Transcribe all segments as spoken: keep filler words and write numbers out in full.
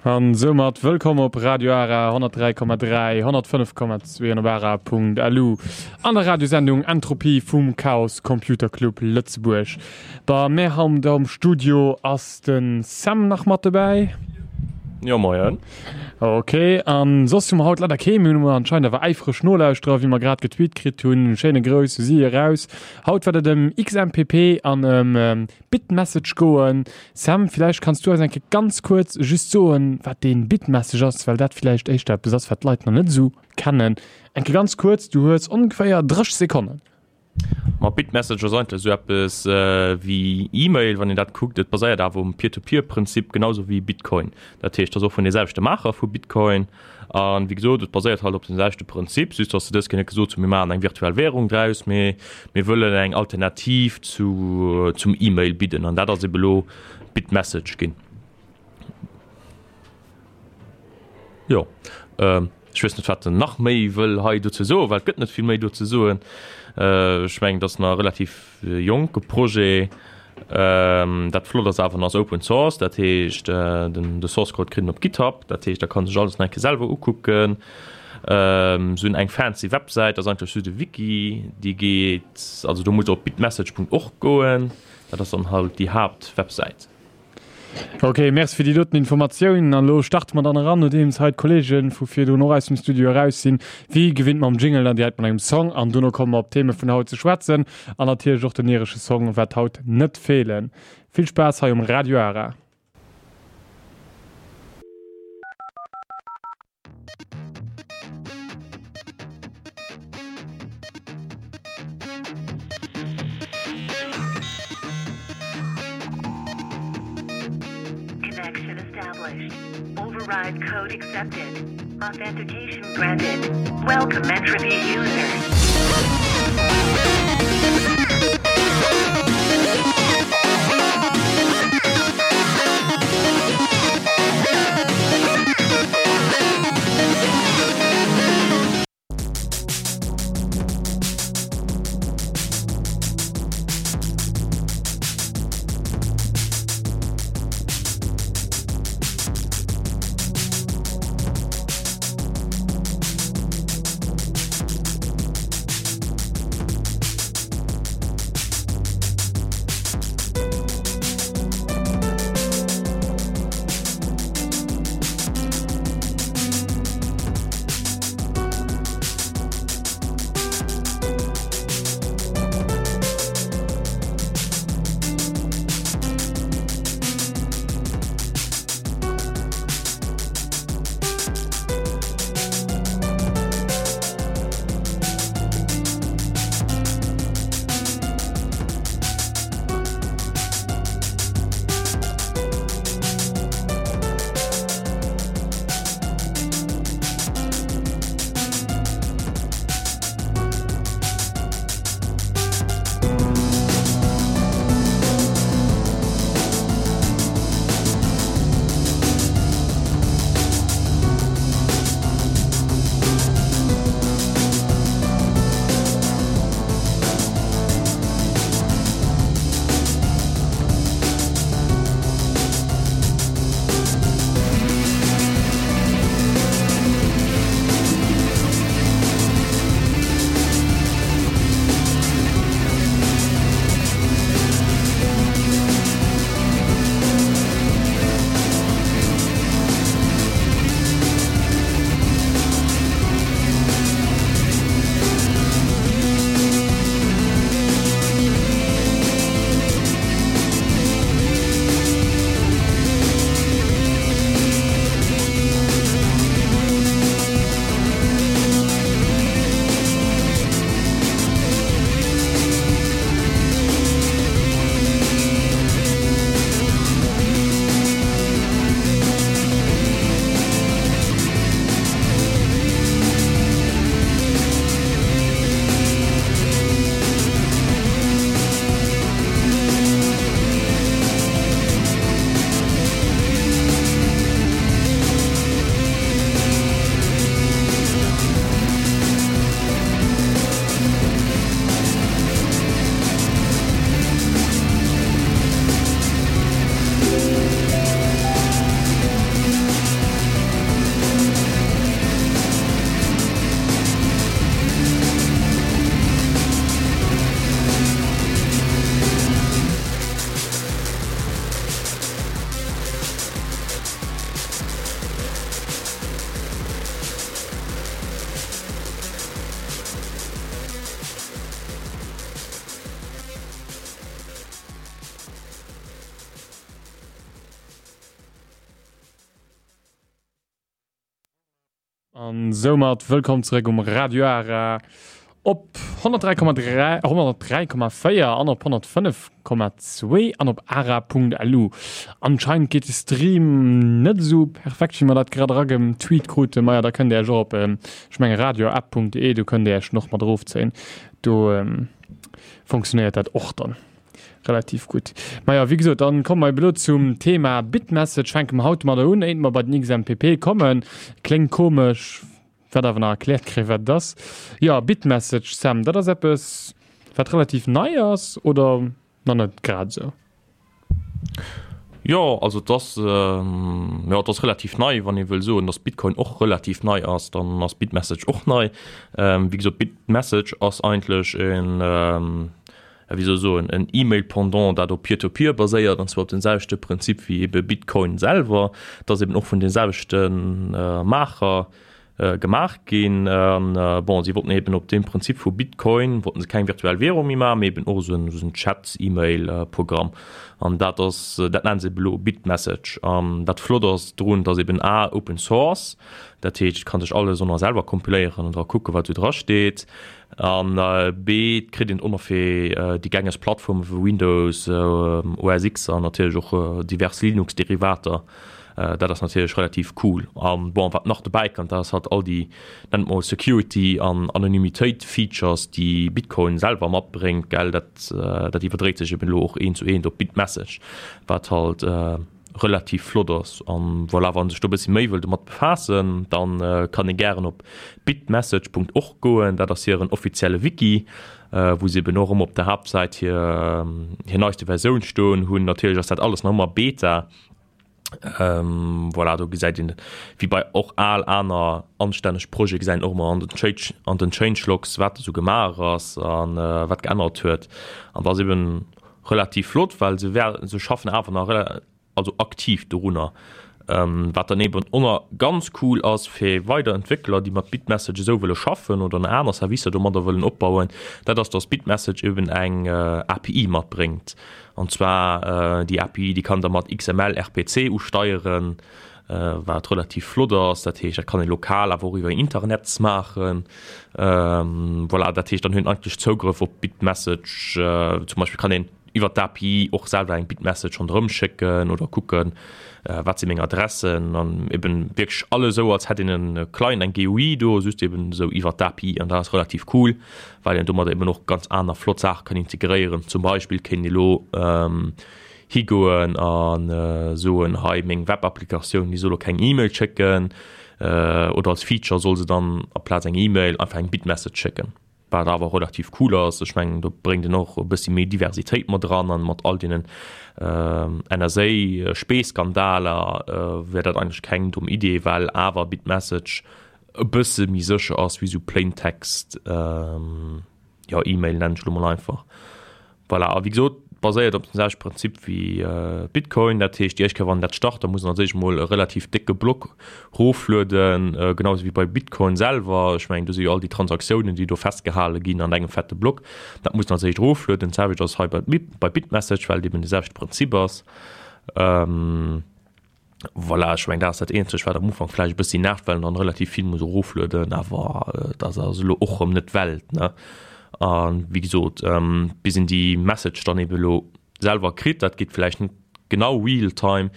An soumat wëllkomm op Radio Ara honnertdräi Komma dräi, honnertfënnef Komma zwee an op ara Punkt L U an der Radiosendung Entropie vum Chaos Computer Club Lëtzebuerg. Bei mär haut am Studio ass de Sam nach mat dobäi. Jo, moien. Ok, an soss hu mer haut leider kee, mir hunn anscheinend awer äifreg Nolauschterer, wéi mer grad getweet kritt hunn. Schéine Grouss u si eraus. Haut wäert et ëm X M P P an ëm Bitmessage goen. Sam, villäicht kanns du eis eng Kéier ganz kuerz just soen, wat deen Bitmessage ass, well dat villäicht éischter eppes ass, wat d'Leit nach net esou kennen. Eng Kéier ganz kuerz, du hues ongeféier drësseg Sekonnen. Ma Bitmessage ass eigentlech esou eppes wéi E-Mail, wann een dat kuckt. Et baséiert awer um Peer-to-Peer-Prinzip, genau esou wéi Bitcoin. Dat heescht, et ass och vun de selwechte Maacher vu Bitcoin. An wéi gesot, et baséiert halt op dem selwechte Prinzip, just dass se dës Kéier net gesot hunn, mir maachen eng virtuell Währung draus, mee mir wëllen eng Alternativ zu, zum E-Mail bidden. An dat ass ebe lo Bitmessage ginn. Jo, ech weess net, wat en nach méi wëll hei dozou soen, well et gëtt net vill méi do ze soen. Ech mengen, et ass nach e relativ jonke Projet. Dat Flott ass awer, en ass Open Source, dat heescht, den de Source Code kritt en op GitHub, dat heescht, da kann sech alles nach eng Kéier selwer ukucken. Se hunn eng fancy Websäit, dat ass eigentlech just e Wiki, déi geet, also do musst Der op bitmessage Punkt org goen, dat ass dann halt déi Haaptwebsäit. Ok, merci fir déi doten Informatiounen. An elo starte mer dann eran, nodeems hei d'Kollege vu virdrun och aus dem Studio eraus sinn, wéi gewinnt mam Jingle an direkt mat engem Song. An dono komme mer op d'Theme vun haut ze schwätzen. An natierlech och den iresche Song wäert haut net feelen. Vill Spaass hei um Radio Ara. Connection established. Override code accepted. Authentication granted. Welcome entropy user. An soumat wëllkomm zeréck um Radio Ara op honnertdräi Komma dräi, honnertdräi Komma véier an op honnertfënnef Komma zwee an op ara Punkt L U. Anscheinend geet de Stream net esou perfekt, wéi mer dat grad eragetweet kruten. Maja, da kënnt Dir Iech och op, ech menge radioapp Punkt de, do kënnt Dir Iech en och mat erofzéien. Do funktionéiert dat och dann relativ gutt. Maja, wéi gesot, dann komme mer ebe lo zum Thema Bitmessage. Fänke mer haut domadder un, éier mer bei den X M P P kommen. Kléngt komesch, wäert awer nach erkläert kréien, wat et ass. Jo, Bitmessage, Sam, dat ass eppes, wat relativ nei ass, oder nach net grad esou? Jo, also et ass, jo, et ass relativ nei. Wann ee wëll soen, datt Bitcoin och relativ nei ass, dann ass Bitmessage och nei. Wéi gesot, Bitmessage ass eigentlech en, ja, wéi soll ech soen, en E-Mail-Pendant, dat op Peer-to-Peer baséiert, an zwar op den selwechte Prinzip wéi ebe Bitcoin selwer. Et ass eben och vun de selwechte Maacher gemaach ginn. An bon, si wollten eben op deem Prinzip vu Bitcoin, wollten se keng virtuell Währung méi maachen, mee eben och esou en, esou en Chat-E-Mail-Programm. An dat ass, dat nennen se eben elo Bitmessage. An dat Flott ass drun, dass eben a Open Source, dat heescht, et kann sech alles och nach selwer kompiléieren an dra kucken, wat do dra steet. An b, et kritt een och nach fir déi gängeg Plattforme wéi Windows, O S X an natierlech och divers Linux-Derivater. Dat ass natierlech relativ cool. An bon, wat nach dobäi kënnt, dat ass halt all déi, nennt mol Security an Anonymitéit-Features, déi Bitcoin selwer matbréngt, gell, dat, dat iwwerdréit sech eben elo och eent zu eent op Bitmessage, wat halt relativ flott ass. An voilà, wann sech do e bëssi méi wëll domat befaassen, dann kann ee gären op bitmessage Punkt org goen, dat ass hiren offizielle Wiki, wou se eben och ëmmer op der Haaptsäit hir, hir neiste Versioun stoen hunn. Natierlech ass dat alles nach ëmmer Beta. Ähm, voilà, do gesäit een, wéi bei och al aner anstänneg Projete gesäit een och ëmmer an den Change, an den Changelogs, wat esou gemaach ass an äh, wat geännert huet. An dat ass eben relativ flott, well se wär, se schaffen awer nach also aktiv dorunner. Ähm, wat dann eben och nach ganz cool ass fir weider Entwéckler, déi mat Bitmessage esou wëlle schaffen oder aner Servicer domadder wëllen opbauen, dat ass, dass Bitmessage eben eng äh, A P I matbréngt. An zwar äh, déi A P I, déi kann da mat X M L R P C usteieren, äh, wat relativ flott ass. Dat heescht, dat kann ee lokal awer och iwwer Internet maachen. Ähm, voilà, dat heescht, dann hunn eigentlech Zougrëff op Bitmessage. Äh, zum Beispill kann een iwwer d'A P I och selwer eng Bitmessage ronderëm schécken oder kucken, äh, wat si meng Adressen an eben wierklech alles esou, als hätt een e Client, eng G U I do, just eben esou iwwer d'A P I, an dat ass relativ cool, well een domadder eben och ganz aner flott Saache kann integréieren. Zum Beispill kéint ee lo ähm, higoen an äh, soen, hei meng Webapplikatioun, déi soll lo keng E-Mail schécken, äh, oder als Feature soll se dann aplaz eng E-Mail einfach eng Bitmessage schécken. Wat awer relativ cool ass. Ech mengen, do bréngt en och e bëssi méi Diversitéit mat dran, an mat all deenen äh, N S A-Spandaler äh, wär dat eigentlech keng domm Idee, well awer Bitmessage e bësse méi sécher ass wéi sou Plain Text ähm, ja, E-Mail, nennen ech lo mol einfach. Voilà, a wéi gesot, baséiert op dem selwechte Prinzip wéi äh, Bitcoin, dat heescht, déi éischt Kéier, wann dat start, da muss een als éischt mol e relativ décke Block roflueden, äh, genau wéi bei Bitcoin selwer. Ech mengen, do si jo all déi Transaktiounen, déi do festgehale ginn an engem fette Block. Dat muss een als éischt roflueden. D'selwecht ass hei bei, bei Bitmessage, well et eben de selwechte Prinzip ass. Ähm, voilà, ech mengen, dat ass dat eenzegt, wat am Ufank vläicht e bëssi nervt, well een dann relativ vill muss eroflueden, awer äh, dat ass elo och erëm net d'Welt, ne? An wéi gesot, ähm, bis een déi Message dann eben elo selwer kritt, dat geet vläicht net genau real time,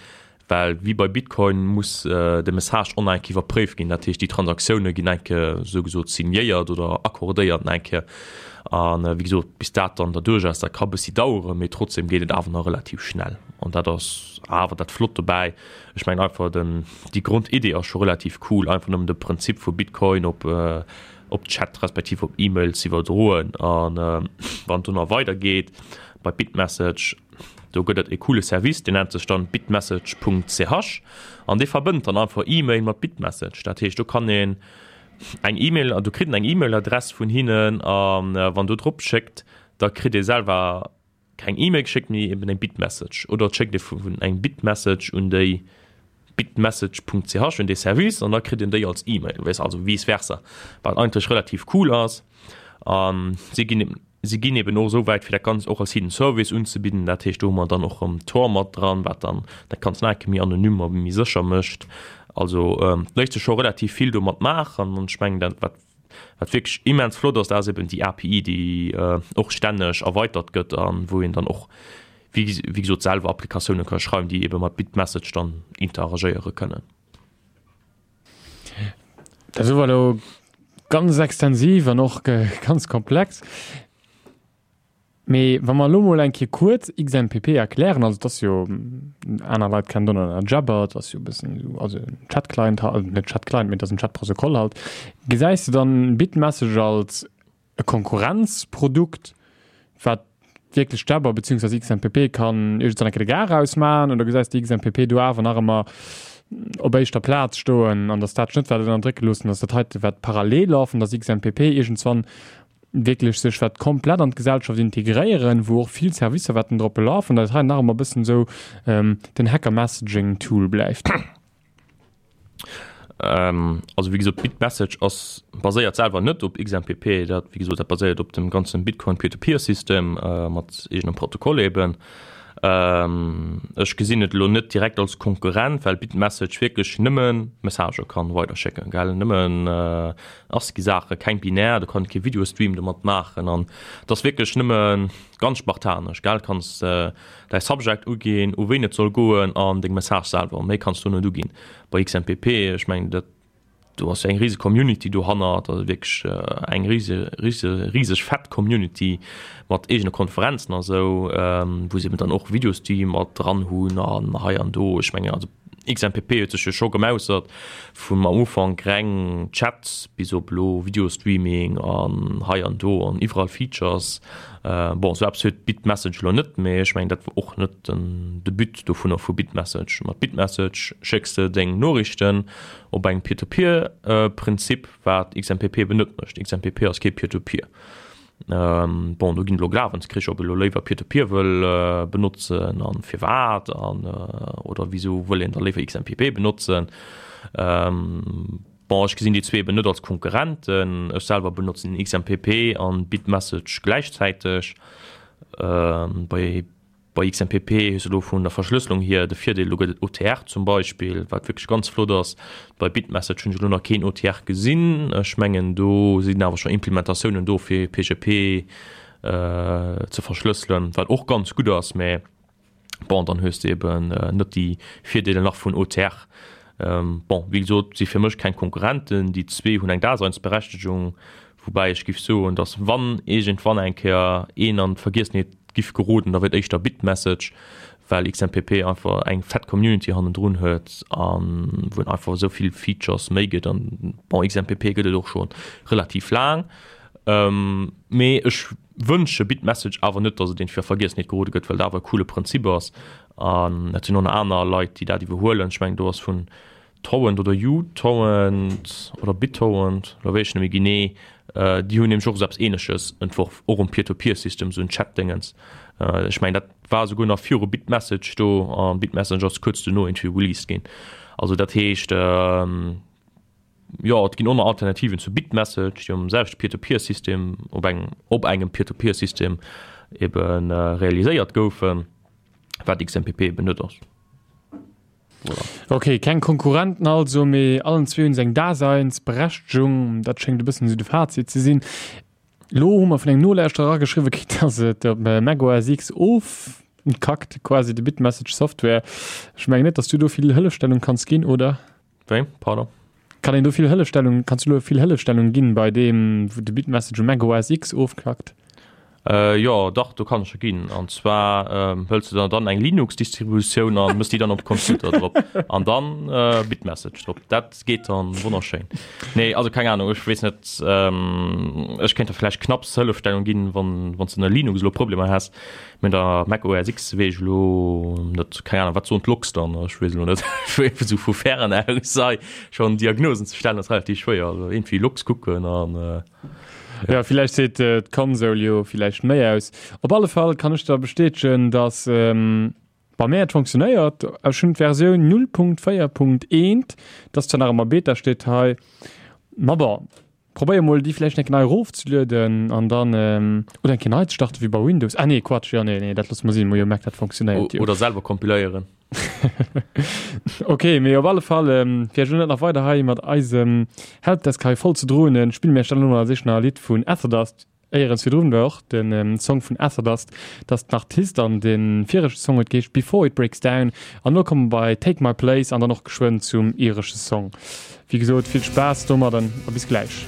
well wéi bei Bitcoin muss äh, de Message och nach eng Kéier iwwerpréift ginn, dat heescht, déi Transaktioune ginn eng Kéier sou gesot signéiert oder accordéiert eng Kéier. An äh, wéi gesot, bis dat dann derduerch ass, dat ka bëssi daueren, mee trotzdem geet et awer nach relativ schnell. An dat ass awer dat Flott dobäi. Ech mengen einfach den, déi Grondidee ass scho relativ cool, einfach nëmmen de Prinzip vu Bitcoin op äh, op Chat respektiv op E-Mail ze iwwerdroen. An äh, wann do nach weidergeet bei Bitmessage, do gëtt et e coole Service, deen nennt sech dann bitmessage Punkt C H an dee verbënnt dann einfach E-Mail mat Bitmessage. Dat heescht, do kann een eng E-Mail, do kritt een eng E-Mail-Adress vun hinnen, an äh, wann do drop schéckt, da kritt ee selwer keng E-Mail geschéckt, mee eben eng Bitmessage. Oder et schéckt ee vun eng Bitmessage un déi bitmessage Punkt C H, un dee Service, an da kritt een déi als E-Mail, weess, also vice versa, wat eigentlech relativ cool ass. An si ginn si ginn eben och esou wäit, fir dat Ganzt och als hidden Service unzebidden. Dat heescht, do hu mer dann och erëm Tor mat dran, wat dann dat Ganzt nach eng Kéier méi anonym a méi sécher mécht. Also ähm, léisst sech scho relativ vill domat maachen an ech mengen dat wat wat wierklech immens flott ass, dat ass eben déi A P I, déi äh, och stänneg erweitert gëtt an wou een dann och wéi, wéi gesot selwer Applikatioune ka schreiwen, déi eben mat Bitmessage dann interagéiere kënnen. Dat war elo ganz extensiv an och ganz komplex. Mee wa mer elo mol eng Kéier kuerz X M P P erklären, also dat ass jo, aner Leit kennen donnner Jabber, dat ass jo e bëssen esou, also en Chat-Client, also net Chat-Client, mee dat ass en Chat-Protokoll halt. Gesäis de dann Bitmessage als e Konkurrenzprodukt, wat wierklech Jabber beziehungsweise X M P P kann iergendwann eng Kéier de Gar ausmaachen, oder gesäis de X M P P do awer nach ëmmer op éischter Plaz stoen an dass dat net wat ënnerdrécke loossen, dass dat heite wat parallel lafen, dass X M P P iergendswann wierklech sech wat komplett an d'Gesellschaft integréieren, wou och vill Servicer wetten drop laufen, dat hei nach ëmmer e bëssen esou, ähm, den Hacker-Messaging-Tool bleift. Ähm, also wéi gesot, Bitmessage ass baséiert selwer net op X M P P, dat, wéi gesot, dat baséiert op dem ganzen Bitcoin Peer-to-Peer-System, äh, mat eegenem Protokoll eben. Ähm, ech gesinn et elo net direkt als Konkurrent, well Bitmessage wierklech nëmmen Messagë kann weiterschécken, gell? Nëmmen, äh, ASCII-Saache, keng binär, du kann kee Videostream domat maachen an das wierklech nëmmen ganz spartanesch, gell? Kanns, äh, däi Subject uginn, u ween et soll goen an deng Message selwer, méi kanns du net uginn. Bei X M P P, ech meng, dat do ass eng riesig Community do hannert, also wierklech, äh, eng riese, riese, rieseg fett Community mat eegene Konferenzen a sou, ähm, wou se eben dann och Videostream mat dran hunn an hei an do. Ech menge, also X M P P huet sech jo scho gemausert vum am Ufank reng Chat bis op lo Videostreaming an hei an do an iwwerall Features. Äh, bon, so eppes huet Bitmessage lo net, mee ech meng, dat war och net den Debut dovunner vu Bitmessage. Mat Bitmessage schécks de deng Noriichten op engem Peer-to-Peer-Prinzip, wat X M P P eben net mécht. X M P P ass kee Peer-to-Peer. Ähm, bon, do ginn lo Glawenskricher, ob e lo léiwer Peer-to-Peer wëll, äh, benotzen an firwat an, äh, oder wieso wëll een da léiwer X M P P benotzen. Ähm, bon, ech gesinn déi zwee eben net als Konkurrenten. Ech selwer benotzen X M P P an Bitmessage gläichzäiteg. Ähm, bei, bei X M P P hues du lo vun der Verschlüsselung hier de Virdeel, lo gëtt et O T R zum Beispiel, wat wierklech ganz flott ass. Bei Bitmessage hunn ech lo nach keen O T R gesinn. Ech mengen, do sinn awer schon Implementatiounen do fir P G P, äh, ze verschlüsseln, wat och ganz gutt ass, mä bon, dann hues du eben, äh, net déi Virdeele nach vun O T R. Ähm, bon, wéi gesot, si fir mech keng Konkurrenten, déi zwee hunn eng Daseinsberechtigung, wobei ech giff soen, dass wann irgendwann eng Kéier een an d'Vergiessenheet giff geroden, da wird éischter Bitmessage, well X M P P einfach eng fett Community hannendrun huet an wou einfach so vill Features méi gëtt an bon, X M P P gëtt et och schon relativ lang. Ähm, mee ech wënsche Bitmessage awer net, dass et den fir Vergiessenheet gerode gëtt, well dat awer e coole Prinzip ass. An et sinn och nach aner Leit, déi dat iwwerhuelen. Ech meng, do ass vun Torrent oder uTorrent oder BitTorrent, oder wéi ech net méi genee, äh, déi hunn nämlech och so eppes Ähnleches entworf, och um Peer-to-Peer-System, so en Chat-Dingens. Äh, ech meng, dat war souguer nach viru Bitmessage do, an Bitmessage ass kurz duerno irgendwie released ginn. Also dat heescht, ähm, ja, et ginn och nach Alternativen zu Bitmessage, déi um selwechte Peer-to-Peer-System, op engem, op engem Peer-to-Peer-System eben, äh, realiséiert goufen, wat X M P P eben net ass. Voilà. Okay, keng Konkurrenten also, mee allen zwee hunn se eng Daseinsberechtigung. Dat schéngt e bëssen esou de Fazit ze sinn. Lo hu mer vun engem Nolauschterer erageschriwwe kritt, dass et op Mac O S X ofkackt, quasi de Bitmessage Software. Ech mengen net, dass du do vill Hëllefstellung kanns ginn, oder? Wéi? Pardon? Kann een do vill Hëllefstellung, kannst du do vill Hëllefstellung ginn bei deem, wou de Bitmessage um Mac O S X ofkackt? Äh, ja, dach, do kann ech schon ginn. An zwar, ähm, hëlls du dann, dann eng Linux-Distributioun an mëss déi dann op Computer drop. An dann, äh, Bitmessage drop. Dat geht dann wunderschön. Nee, also keine Ahnung, ich wees net, ähm, ich könnte vielleicht knapps Hëllefstellung ginn, wann, wann du in der Linux lo Probleme hast. Mit der Mac O S X wees ich lo net, keine Ahnung, wat so Logs dann, ich wees lo net. So vu fern aus sei, schon Diagnosen zu stellen, ist relativ schwer. Also irgendwie Logs gucken an, äh, Ja, vielleicht seht, äh, d'Konsole jo vielleicht méi aus. Op alle Fall kann ich da bestätigen, dass, ähm, bei mir et funktioniert. Ech hun d'Versioun null Punkt véier Punkt eent, das zwar nach ëmmer Beta steet hei. Ma bon, probéier mol déi vielleicht eng nei rofzelueden an dann, ähm, oder eng nei ze starten wie bei Windows. Ah, nee, Quatsch, ja, nee, nee, dat lass mal sinn, mo jo merkt, dat funktioniert, O-, jo. Oder selber kompiléieren. Ok, mee op alle Fall, fir iech elo net nach weider hei mat eisem Helpdesk hei voll ze dronen, spille mir iech dann elo nach sich nach e Lidd vun Etherdust. Éierens virdrun war och den Song vun Etherdust, dat ass den Artist an de viregte Song huet geheescht Before It Breaks Down. An elo komme mer bei Take My Place an dann och geschwënn zum iresche Song. Wéi gesot, vill Spaass domadden a bis gläich.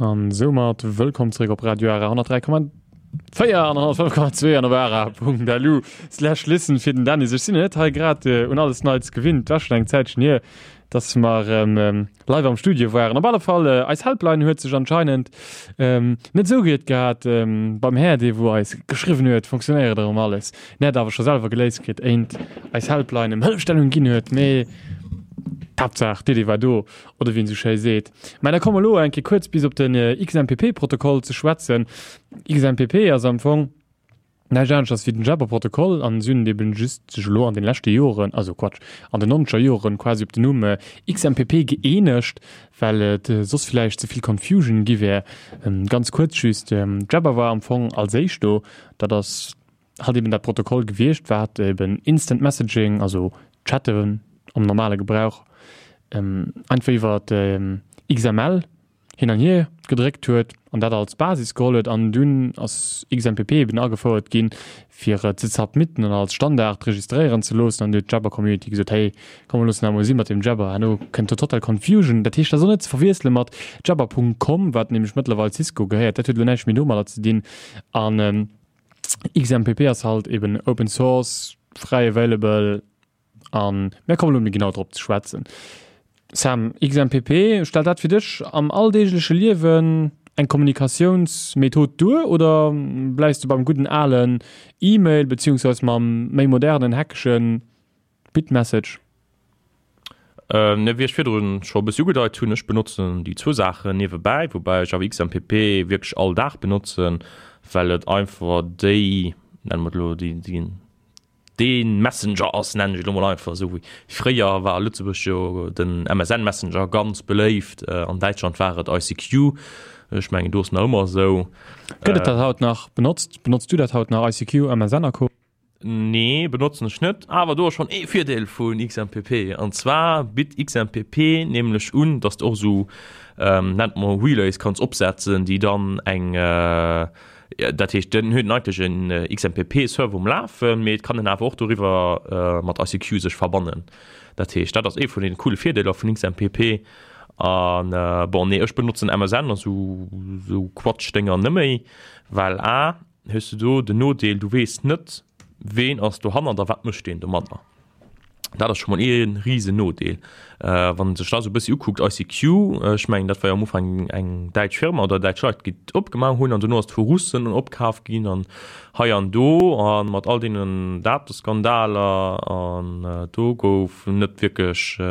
An soumat wëllkomm zeréck op Radio R honnertdräi Komma Véier an honnert fënnef Komma zwee an op ara.lu slash listen fir den Dennis. Ech sinn net hei grad äh, un alles Neits gewinnt. War schon eng Zäitchen hier, dass mer ähm, ähm, live am Studio waren. Op alle Fall, äh, eis Helpline huet sech anscheinend ähm, net sou gutt gehat ähm, beim Här, dee wou eis geschriwwen huet, funktionéiert erëm alles. Net awer scho selwer geléist kritt, éint eis Helpline em Hëllefstellung ginn huet, mee d'Haaptsaach, d'Iddi war do, oder wéi een sou schéi seet. Mä da komme mer elo eng Kéier kuerz bis op den äh, X M P P-Protokoll ze schwätzen. X M P P ass am Fong näischt anescht wéi den Jabber-Protokoll an si hunn eben just sech elo an den leschte Joren, also Quatsch, an den nonzeger Joren quasi op den Numm äh, X M P P gëeenegt, well et äh, soss vläicht ze vill Confusion gi wär. Ähm, ganz kuerz just, ähm, Jabber war am Fong als éischt do, dat ass halt eben dat Protokoll gewiescht, wat eben Instant Messaging, also Chatten am normale Gebrauch, ähm, einfach iwwer ähm, X M L hin an hier gedréckt huet an dat als Basis geholl huet an dunn ass X M P P eben agefouert ginn, fir et ze submitten an als Standard registréieren ze loossen an huet d'Jabber Community gesot, hey, komm mer loossen dat mol si mat dem Jabber, herno kënnt do total Confusion. Dat heescht, dat ass och net ze verwiessele mat Jabber Punkt com, wat nämlech mëttlerweil Cisco gehéiert, dat huet elo näischt méi domadder ze dinn an ähm, X M P P ass halt eben Open Source, fräi available an mir kommen elo méi genau drop ze schwätzen. Sam, X M P P, stellt dat fir dech am alldeegleche Liewen eng Kommunikatiounsmethod duer oder bleifs du beim gudden alen E-Mail beziehungsweise mam méi modernen hackegen Bitmessage? Äh, ne, wéi ech virdrun scho e bëssi ugedeit hunn, ech benotzen déi zwou Saachen niewebäi, woubäi ech awer X M P P wierklech all Dag benotzen, well et einfach déi, nenne mer et elo, déi, déi, dee Messenger ass, nennen ech et elo mol einfach esou. Wéi fréier war a Lëtzebuerg jo den M S N Messenger ganz beléift, an Däitschland war et I C Q, ech mengen do ass nach ëmmer esou. Gëtt et dat haut nach benotzt? Benotzt du dat haut nach, I C Q, M S N a Co? Nee, benotzen ech net, awer do ass schonn ee Virdeel vun X M P P, an zwar bitt X M P P nämlech un, dass de och esou, nennt mer Relays kanns opsetzen, déi dann eng, dat heescht den huet eigentlech en X M P P Server um Lafen, mee et kann en awer och doriwwer mat I C Q sech verbannen. Dat heescht dat ass ee vun den coole Virdeeler vun X M P P. An bon nee, ech benotzen M S N a sou sou Quatschdénger nëmméi, well a hues de do den Nodeel, du weess net ween ass dohannert a wat mécht deen domadder. Dat ass scho mol ee risen Nodeel. Wann een sech dat esou e bëssi ukuckt, I C Q, ech mengen dat war jo am Ufank eng däitsch Firma oder däitsch Leit, déi et opgemaach hunn an dono ass et vu Russen opkaf ginn an hei an do a mat all deenen Dateskandaler an do gouf net wierklech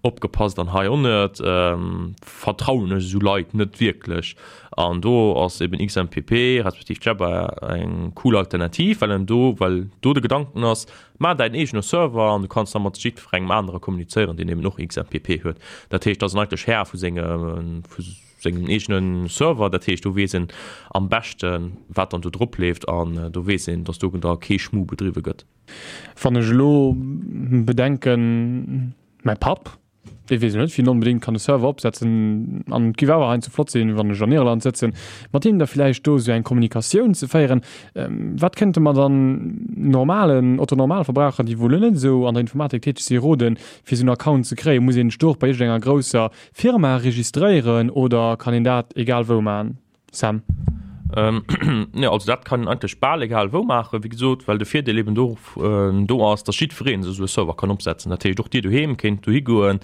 opgepasst an hei och net, vertrauen ech esou Leit net wierklech. An do ass eben X M P P respektiv Jabber eng cool Alternativ, well en do, well do de Gedanken ass, maach däin eegene Server an du kanns da mat jiddwerengem anere kommunizéieren, deen eben och X M P P huet. Dat heescht, da ass en eigentlech Här vu senge, vu sengem eegene Server. Dat heescht, do weess en am beschten, wat dann do drop leeft an do weess een, dass do da kee Schmu bedriwwe gëtt. Wann ech elo bedenken, mäi Papp, dee weess elo net, wéi en onbedéngt kann e Server opsetzen an et géif awer heiansdo flott sinn, wann ech an Irland sëtzen, mat him da vläicht do esou eng Kommunikatioun ze féieren. Wat kënnte mer dann normalen Otto-Normalverbraucher, déi wou elo net esou an der Informatik täteg si, roden, fir esou en Account ze kréien? Muss een sech do och bei iergendenger grousser Firma registréieren oder kann een dat egal wou maachen? Sam. Jo, also dat kann een eigentlech bal egal wou maachen, wéi gesot, well de Virdeel eben do do ass, dass jiddweree sech esou e Server kann opsetzen. Dat heescht, och Dir doheem kéint dohi goen,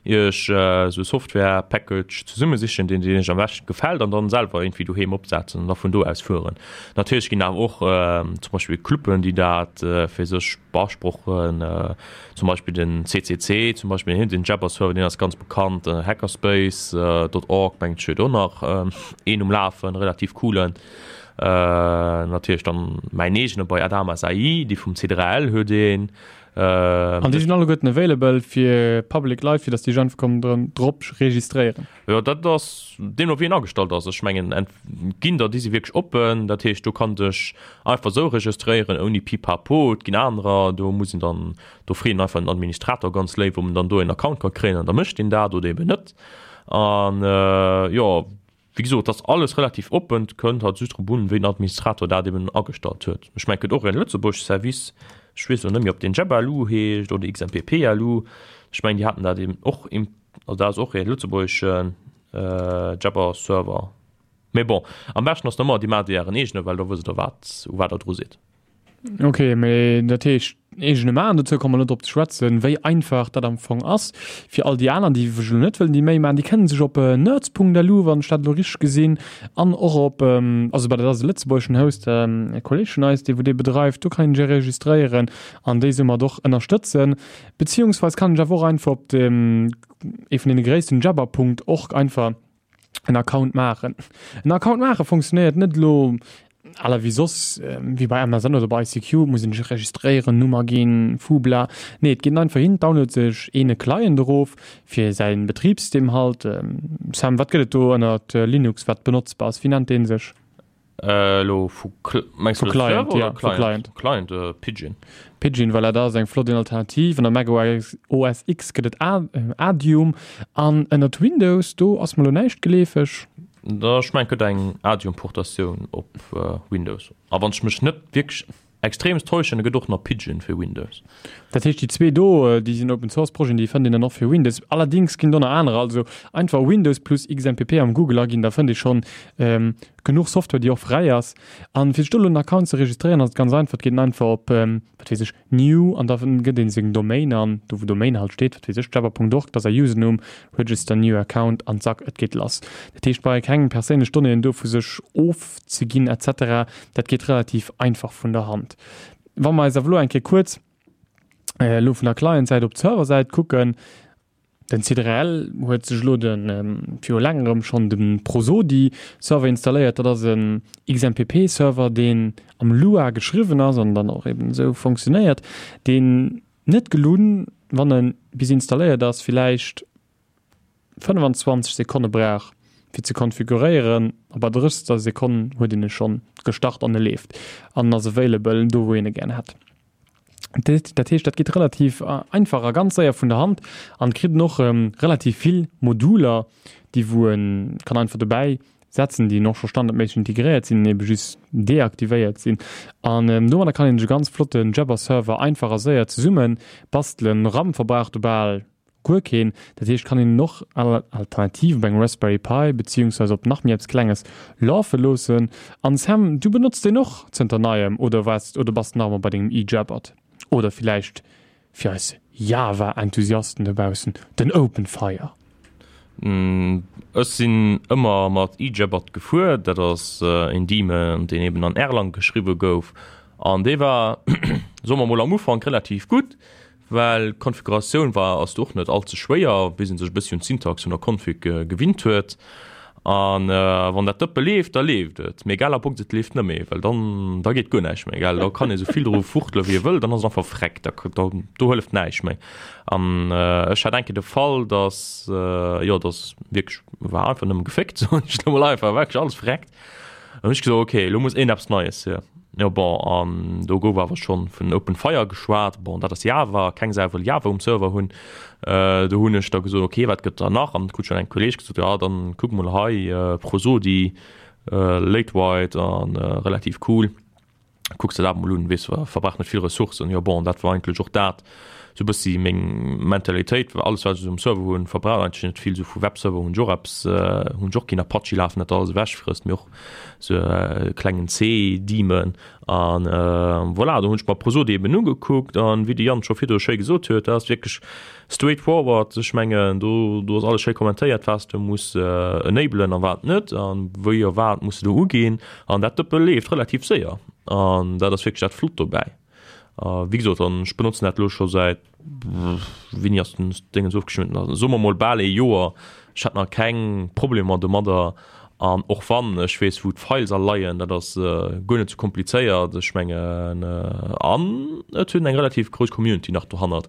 Iech esou e Software-Package zesummesichen, deen Iech am beschten gefält an dann selwer iergendwéi doheem opsetzen an da vun do aus fueren. Natierlech ginn awer och zum Beispill Cluben, déi dat fir sech beasprochen, zum Beispill den C C C zum Beispill, den Jabber-Server, deen ass ganz bekannt, Hackerspace dot org mengen ech huet och nach een um Lafen, relativ coolen. Natierlech dann mäin eegene bei Adamas A I, déi vum C drei L huet een. An déi sinn alleguerten available fir public Leit, fir datt déi sech einfach kommen drop registréieren? Jo, dat ass deemno wéi en agestallt ass. Ech mengen et ginn der, déi si wierklech oppen, dat heescht do kann dech einfach esou registréieren ouni Pipapo. Et ginn anerer, do muss een dann, do freet een einfach den Administrator ganz léif, ob en dann do en Account ka kréien an da mécht deen dat oder eben net. An jo, wéi gesot, et ass alles relativ oppen, et kënnt halt just drop un, wéi den Administrator dat eben agestallt huet. Ech mengen et gëtt och en lëtzebuergesche Service, ech weess elo net méi ob deen Jabber L U heescht oder X M P P L U, ech mengen déi haten dat eben och, also dat ass och e lëtzebuergesche Jabber Server. Mee bon, am beschten ass ëmmer, Dir maacht Ären eegene, well da wësst Der, wat, u wat Der dru sidd. Ok, mee dat heescht, eegene maachen, dozou komme mer elo drop ze schwätzen, wéi einfach dat am Fong ass. Fir all déi aner, déi sech elo net wëllen déi Méi maachen, déi kënnen sech op nerds Punkt L U, wann ech dat elo richteg gesinn, an och op, also bah, dat ass e lëtzebuergeschen Host, e Kolleeg vun eis, dee wou dee bedreift, do kann een sech registréieren an déi soumat och ënnerstëtzen. Beziehungsweis kann een sech awer och einfach op dem, ee vun deene gréissten Jabber Punkt org einfach en Account maachen. En Account maache funktionéiert net elo à la wéi soss, wéi bei M S N oder bei I C Q, muss een sech registréieren, Nummer ginn, Fubla. Nee, et geet een einfach hin, downloadt sech een e Client erof fir säin Betribssystem halt. Sam, wat gëtt et do ënnert Linux, wat benotzbar ass? Wéi nennt dee sech? Elo vu mengs du Client, ja, vu Client. Client, äh, Pidgin. Pidgin, voilà, dat ass eng flott Alternativ. Ënner Mac O S X gëtt et Adium an ënnert Windows, do ass mer elo näischt geleefeg. Da ech mengen, gëtt eng Adium-Portatioun op äh, Windows. A wann ech mech net wierklech extremst täuschen, da gëtt och nach Pidgin fir Windows. Dat heescht, déi zwee do, déi sinn Open Source Projeten, déi fënnt een dann och fir Windows. Allerdings ginn do nach anerer, also einfach Windows plus X M P P am Google aginn, da fënnt ee schonn ähm, genuch Software, déi och fräi ass. An fir sech do elo en Account ze registréieren, ass et ganz einfach, et geet een einfach op, ähm, wat weess ech, New an da gëtt een seng Domain an, do wou Domain halt steet, wat weess ech, jabber Punkt org, dat ass säi Usernumm, Register new account an zack, et geet lass. Dat heescht, brauch ee keng perséinlech Donnéeën do vu sech ofzeginn et cetera. Dat geet relativ einfach vun der Hand. Wa mer eis awer elo eng Kéier kuerz elo vun der Client-Säit op d'Server-Säit kucken, den C drei L huet sech elo de viru längerem schonn de Prosodi-Server installéiert. Dat ass en X M P P-Server, deen am Lua geschriwwen ass an dann och eben esou funktionéiert, deen net gelunn, wann e bis installéiert ass, villäicht fënnfanzwanzeg Sekonne brauch fir ze konfiguréieren, a bei drëssegster Sekonn huet een e schonn gestart an e leeft an ass available do wou een e gären hätt. Dat heescht, dat geet relativ einfach a ganz séier vun der Hand an kritt en och relativ vill Moduler, déi wou en kann einfach dobäi setzen, déi och scho standardméisseg integréiert sinn, ebe just deaktivéiert sinn. An domadder kann een sech e ganz flotten Jabber-Server einfach a séier zesumme bastelen. RAM verbraucht e bal guer keen, dat heescht kann een en och alternativ op engem Raspberry Pi beziehungsweise op nach méi eppes Klenges lafe loossen. An Sam, du benotz deen och zënter neiem oder waars oder bass de nach ëmmer bei dengem eJabber? Oder villäicht fir eis Java-Enthusiasten dobaussen den Openfire? Ech sinn ëmmer mat eJabber gefuer, dat ass en Daemon, deen eben an Erlang geschriwwe gouf an dee war, soe mer mol, am Ufank relativ gutt, well d'Konfiguratioun war ass do och net all ze schwéier, bis ee sech e bëssi un d'Syntax vun der Config gewinnt huet. An wann dat Dëppe leeft, da leeft et. Mee egal ab et leeft net méi, well dann da geet guer näischt méi, gell. Da kann ee sou vill dru fuchtele wéi ee wëll, dann ass et einfach freck, da da do hëlleft näischt méi. An ech hat eng Kéier de Fall, dass jo dass wierklech war einfach nëmme geféckt, soen ech elo mol einfach, war wierklech alles verreckt. An hunn ech gesot, okay, elo muss iergendeppes Neies hier. Jo bon, an do gouf awer schonn vun Open Fire geschwat. Bon, dat ass Java, keng Sau wëll Java um Server hunn. Do hunn ech da gesot, okay, wat gëtt da nach? An krut schonn eng Kolleeg gesot, jo dann kuck mol hei, Prosodi, lightweight an relativ cool, kucks der dat mol un, weess verbraucht net vill Ressourcen. Jo bon, dat war eigentlech och dat sou bëssi meng Mentalitéit, well alles wat ech um Server hunn verbraucht eigentlech net vill, sou vu Webserver hunn ech och eppes, hunn ech och keen Apache lafen, dat alles ewechfrësst, mee och sou e klengen C-Daemon an voilà, do hunn ech mer Prosodi eben ugekuckt an wéi de Yann scho virdru schéi gesot huet, dat ass wierklech straight forward, ech mengen do do ass alles schéi kommentéiert, wat s de muss enablen a wat net an wéi a wat muss de do uginn an dat Dëppe leeft relativ séier an dat ass wierklech dat Flott dobäi. A wéi gesot, an ech benotzen dat elo scho säit, wéini ass den Déngens ofgeschnitten, also soe mer mol bal ee Joer. Ech hat nach keng Problemer domadder an och wann ech weess wou d'Files all leien, dat ass guer net sou komplizéiert. Ech mengen an et hunn eng relativ grouss Community nach dohannert.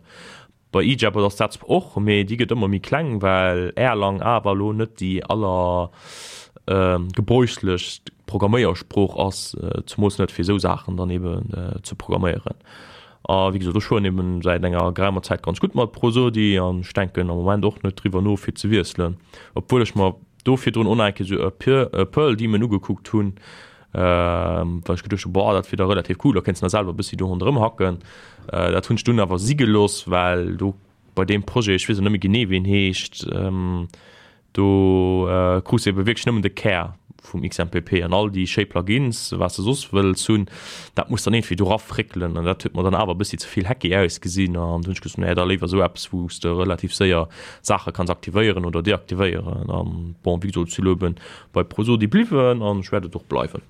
Bei eJabber ass dat zwar och, mee déi gëtt ëmmer méi kleng, well Erlang awer elo net déi aller gebräuchlechst Programméiersprooch ass, zemools net fir esou Saachen dann eben ze programméieren. A wéi gesot, ech fueren eben säit enger geraumer Zäit ganz gutt mat Prosodi an ech denken am Moment och net driwwer no fir ze wiesselen, obwuel ech mer do virdrun och nach eng Kéier esou e Perl Daemon ugekuckt hunn, well ech geduecht hunn, boah, dat wier da relativ cool, da kéints de nach selwer e bëssi do ronderëm hacken. Dat hunn ech dunn awer si gelooss, well do bei deem Projet, ech weess elo net méi genee wéi en heescht, do krus de ebe wierklech nëmmen de Kär vum X M P P an all déi schéi Plugins, wat s de soss wëlls hunn, dat muss dann iergendwéi do rafréckelen an dat huet mer dann awer e bëssi ze vill hacky ausgesinn an du hunn ech gesot, nee, da léiwer esou eppes, wou s de relativ séier Saache kanns aktivéieren oder deaktivéieren an bon, wéi gesot, ech si lo eben bei Prosodi bliwwen an ech wäert et och bleiwen.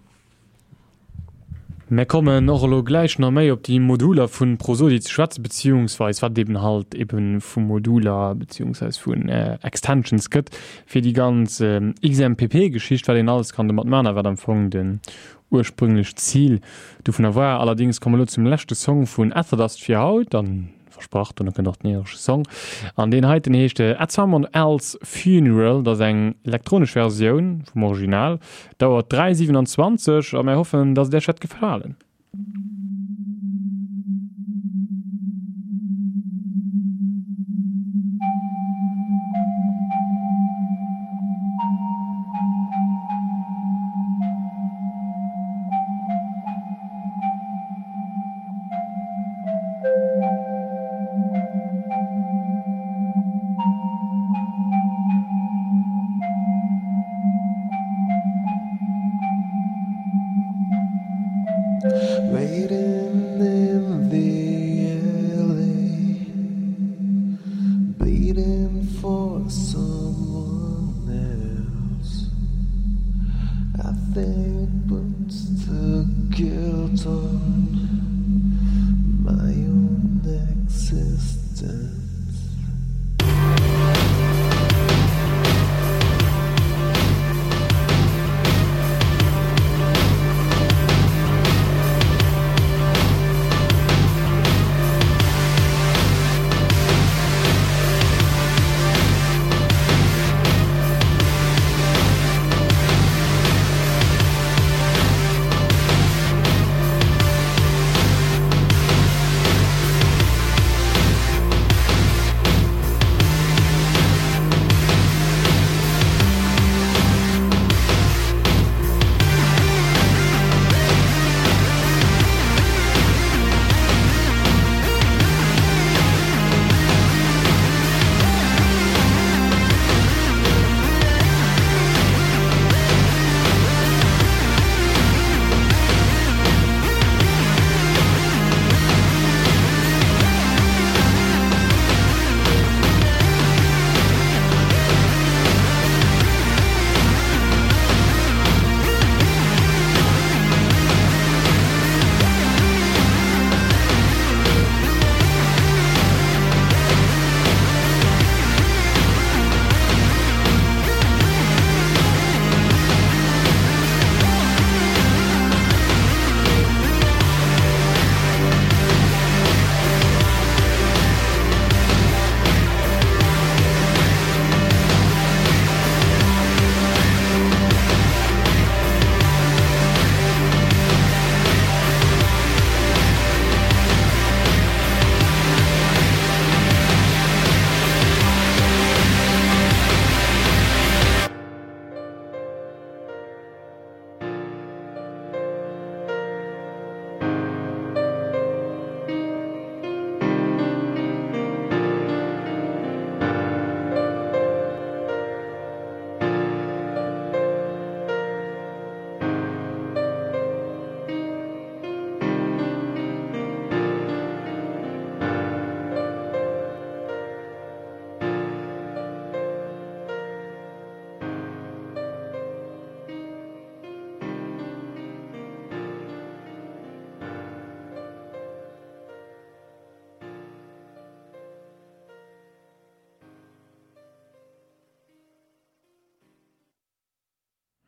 Mär kommen och elo gläich nach méi op déi Moduler vu Prosodi ze schwätzen, beziehungsweis wat et eben halt eben vu Moduler beziehungsweis vun Extensions gëtt fir déi ganz X M P P-Geschicht, wat een alles kann domat maachen a wat am Fong den ursprünglecht Zil dovunner war. Allerdings komme mer elo zum leschte Song vun Etherdust fir haut, an versprach, dono kënnt och den iresche Song. An deen heiten heescht At Someone Else's Funeral, dat ass eng elektronesch Versioun vum Original, dauert dräi siwenanzwanzeg a mär hoffen, dass et Iech wäert gefalen. Waiting in the alley, bleeding for someone else. I think puts the guilt on my own existence.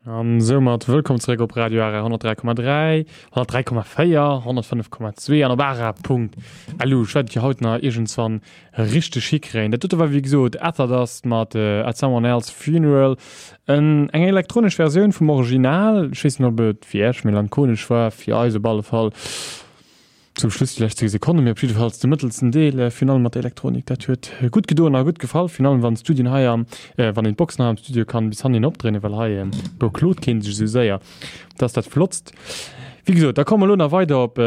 An soumat wëllkomm zeréck op Radio Ara honnertdräi Komma dräi, honnertdräi Komma véier, honnertfënnef Komma zwee an op ara Punkt lu. Ech wäert et jo haut nach iergendswann richteg hikréien. Dat dote war wéi gesot Etherdust mat At Someone Else's Funeral, en eng elektronesch Versioun vum Original. Ech weess net, ob et fir Iech melancholesch war, fir eis op alle Fall. Zum Schluss déi lescht zéng Sekonnen, mee op jiddefalls de mëttelsten Deel, virun allem mat der Elektronik, dat huet gutt gedoen a gutt gefall, virun allem wann d'Studien hei am, wann een d'Boxen hei am Studio kann bis hannen opdréinen, well hei beklot keen sech esou séier. Dat ass dat Flottst. Wéi gesot, da komme mer elo nach weider op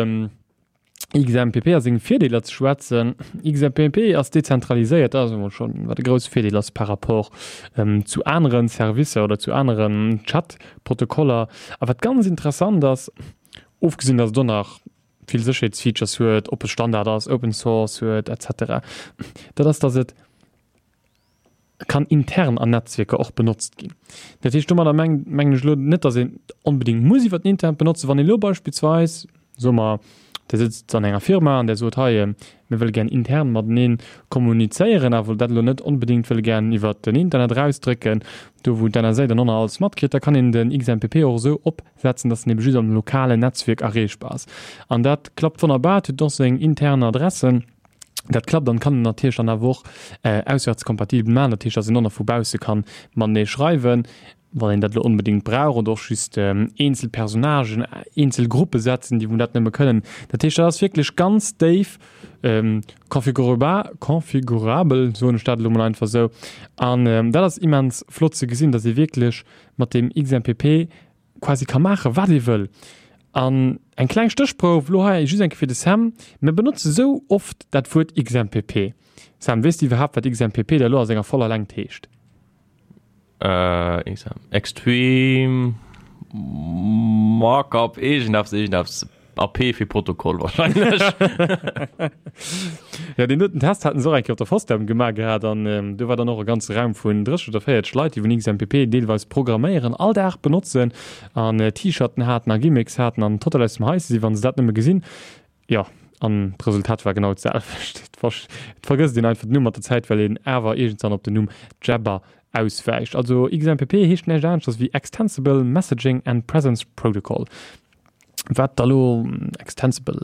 X M P P a senge Virdeeler ze schwätzen. X M P P ass dezentraliséiert, dat ass emol schonn wat e grousse Virdeel ass par rapport zu anere Servicer oder zu aneren Chat-Protokoller. A wat ganz interessant ass, ofgesinn datt et och nach vill Sécherheetsfeatures huet, oppe Standard ass, Open Source huet et cetera, dat ass, datt et kann intern an Netzwierker och benotzt ginn. Dat heescht, domadder mengen ech elo net, datt een onbedéngt muss iwwer den Internet benotzen. Wann een elo beispillsweis, soe mer, Dir sëtzt an enger Firma an Der sot, hei, mir wëlle gär intern matenee kommunizéieren, awer dat elo net onbedéngt wëlle gär iwwer den Internet erausdrécken, do wou d'N S A dann och nach alles matkritt, da kann een den X M P P och esou opsetzen, datt en ebe just am lokalen Netzwierk erreechbar ass. An dat klappt wonnerbar, et huet och seng intern Adressen. Dat klappt an kann een natierlech dann awer och auswärtskompatibel maachen, dat heescht, datt een och nach vu bausse kann matenee schreiwen, wann een dat elo onbedéngt brauch, oder och just eenzel Personnagen, eenzel Gruppe setzen, déi wou dat nëmme kënnen. Dat heescht, dat ass wierklech ganz déif konfigurabel, soen ech dat elo mol einfach esou. An dat ass immens flott ze gesinn, datt ee wierklech mat deem X M P P quasi ka maachen, wat ee wëll. An eng kleng Stéchprouf elo hei just eng Kéier fir de Sam, Mir benotze sou oft dat Wuert X M P P. Sam, weess de iwwerhaapt, wat X M P P da elo a senger voller Längt heescht? Äh, Extreme Markup iergendeppes, iergendeppes. A P fir Protokoll wahrscheinlech. Ja, deen doten Test haten se och eng Kéier op der FOSDEM gemaach gehat an do war dann och e ganze Raum vun drësseg oder véierteg Leit, déi vun X M P P deelweis programméieren, all Dag benotzen an T-Shirten haten a Gimmicks haten an total aus dem Haische sinn, wa se dat nëmme gesinn. Jo, an d'Resultat war genau d'selwecht. Et vergësst een einfach den Numm mat der Zäit, well een awer iergendwann op den Numm Jabber auswäicht. Also X M P P heescht näischt aneschters wéi Extensible Messaging and Presence Protocol. Wat da lo Extensible,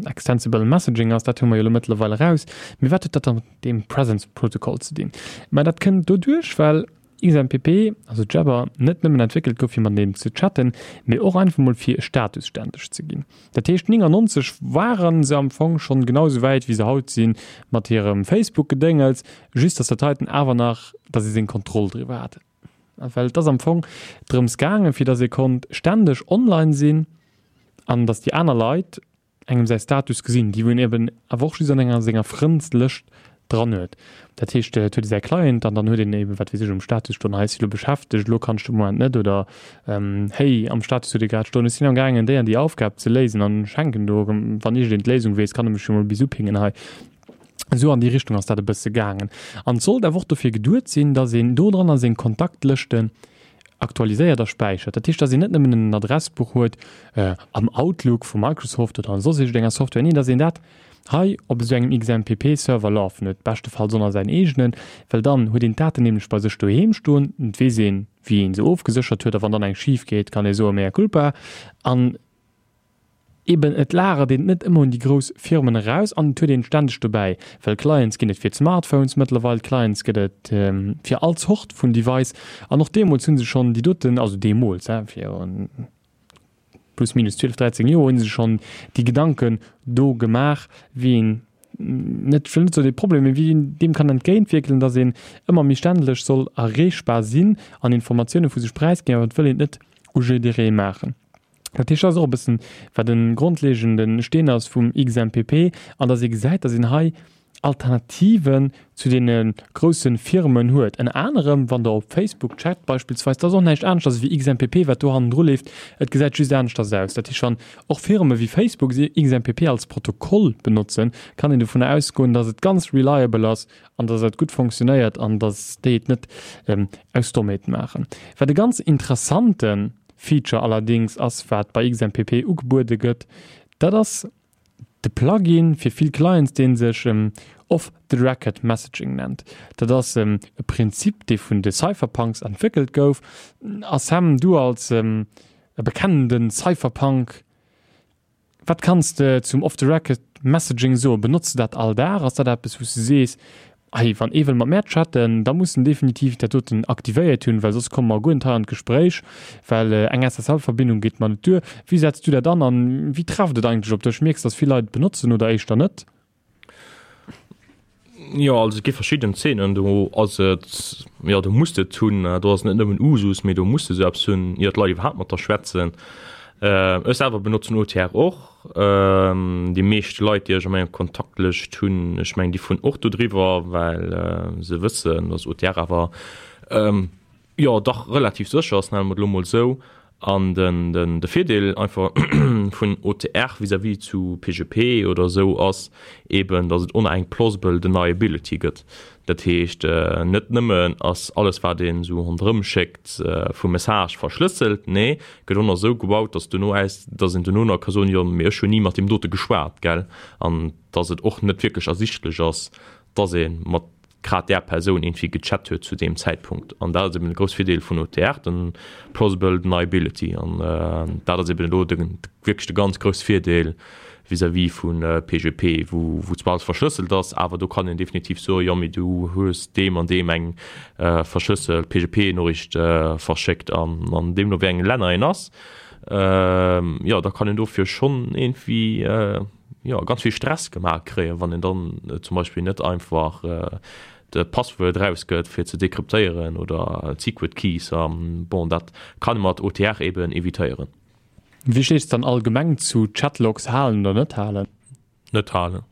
Extensible Messaging ass, dat hu mer jo elo mëttlerweil eraus. Mee wat huet dat da mat deem Presence Protocol ze dinn? Mä dat kënnt doduerch, well X M P P, also Jabber, net nëmmen entwéckelt gouf fir mateneen ze chatten, mee och einfach mol fir e Status ständeg ze ginn. Dat heescht néngannonzeg ware se am Fong schonn genau esou wäit wéi se haut sinn mat hirem Facebook-Gedéngels, just datt dat heiten awer nach, datt ee seng Kontroll driwwer hat. Well et ass am Fong drëms gaangen, fir datt ee konnt ständeg online sinn an datt déi aner Leit engem säi Status gesinn, déi wou een eben awer och just an enger senger Frëndslëscht dran huet. Dat heescht, et huet ee säi Client an dann huet een eben, wat weess ech, um Status stoen, hei ech si lo beschäftegt, elo kann ech de Moment net oder héi am Status huet ee grad stoen, ech sinn am gaangen déi an déi Aufgab ze léisen an ech hänken do, wann iergendeen d'Léisung weess, kann e mech jo mol bis upingen hei. Esou an déi Richtung ass dat e bësse gaangen. An et sollt awer och dofir geduet sinn, datt een do dranner seng Kontaktlëschten aktualiséiert a späichert. Dat heescht, datt een net nëmmen en Adressbuch huet am Outlook vu Microsoft oder an soss iergendenger Software, nee, datt een dat hei op esou engem X M P P-Server lafen huet, beschtefalls och nach säin eegenen, well dann huet een d'Daten nämlech bei sech doheem stoen, et weess een, wéi ee se ofgeséchert huet a wann dann eng schif geet, kann ee soe mea culpa. An Eben, et lagert een et net ëmmer un déi grouss Firmen eraus an et huet een et stänneg dobäi, well Clients ginn et fir d'Smartphones mëttlerweil, Clients gëtt et fir all Zort vun Device an och deemools hu se schonn déi doten, also deemools, hein, virun plus minus zwielef, dräizéng Joer, hu se schonn déi Gedanken do gemaach, wéi een net, ech wëll net soen dee Problem, mee wéi een deem kann entgéintwierken, datt een ëmmer méi stänneg soll erreechbar sinn an Informatioune vu sech präisginn, awer et wëll een et net u jidderee maachen. Dat heescht, dat ass och e bëssen, wat e grondlegende Steen ass vum X M P P, an datt ee gesäit, datt een hei Alternativen zu deene grousse Firmen huet. Ënner anerem, wann Der op Facebook chat beispillsweis, dat ass och näischt aneschters ewéi X M P P, wat do hannendru leeft, et gesäit just aneschters aus. Dat heescht, wann och Firme wéi Facebook X M P P als Protokoll benotzen, kann een dovunner ausgoen, datt et ganz reliable ass an datt et gutt fonctionnéiert an datt déi et net aus Dommheet maachen. Wat e ganz interessante Feature allerdings ass, wat bei X M P P ugebuede gëtt, dat ass de Plugin fir vill Clients, dee sech Off-the-Record Messaging nennt. Dat ass e Prinzip, dee vun de Cypherpunks entwéckelt gouf. A Sam, du als e bekennende Cypherpunk, Wat kanns de zum Off-the-Record Messaging soen? Benotz de dat all Dag? Ass dat eppes, wou s de sees, Hey, wann ee wëll mat mär chatten, da muss en definitiv dat doten aktivéiert hunn, well soss komme mer guer net hei an d'Gespréich, well eng S S L-Verbindung geet mer net duer. Wéi setz du dat an an wéi trefft et eigentlech op dech? Mierks, dass vill Leit et benotzen oder éischter net? Jo, also et gi verschidden Zeenen, do ass et, jo, do muss de et hunn. Do ass et net nëmmen Usus, mee do muss de esou eppes hunn, ier d'Leit iwwerhaapt mat der schwätzen. Ech selwer benotzen O T R och. Déi meescht Leit, déi ech a menger Kontaktlëscht hunn, ech mengen, déi fueren och do driwwer, well se wëssen, dass O T R awer jo dach relativ sécher ass, nenne mer et elo mol esou. An den, den, de Virdeel einfach vun O T R vis-à-vis zu P G P oder esou ass eben, dass et oner eng plausible deniability gëtt. Dat heescht, net nëmmen ass alles, wat een esou ronderëm schéckt, vum Message verschlësselt, nee, gëtt och nach esou gebaut, dass duerno aus, dass een duerno nach ka soen, jo, mee ech hunn ni mat deem dote geschwat, gell? An dass et och net wierklech ersichtlech ass, dass ee mat grad där Persoun iergendwéi gechat huet zu deem Zäitpunkt. An dat ass eben de grouss Virdeel vun O T R, den Plausible Deniability. An dat ass eben elo de, wierklech de ganz grouss Virdeel vis-à-vis vu P G P, wou, wou zwar alles verschlësselt ass, awer do kann een definitiv soen, jo, mee du hues deem an deem eng verschlësselt P G P-Noriicht verschéckt. An, an deemno wéi enge Länner een ass, jo, da kann een dofir schonn iergendwéi, jo, ganz vill Stress gemaach kréien, wann een dann zum Beispill net einfach de Passwuert rausgëtt fir ze dekryptéieren oder d'Secret Keys. An bon, dat kann ee mat O T R eben evitéieren. Wéi stees du dann allgemeng zu Chatlogs halen oder net halen? Net halen.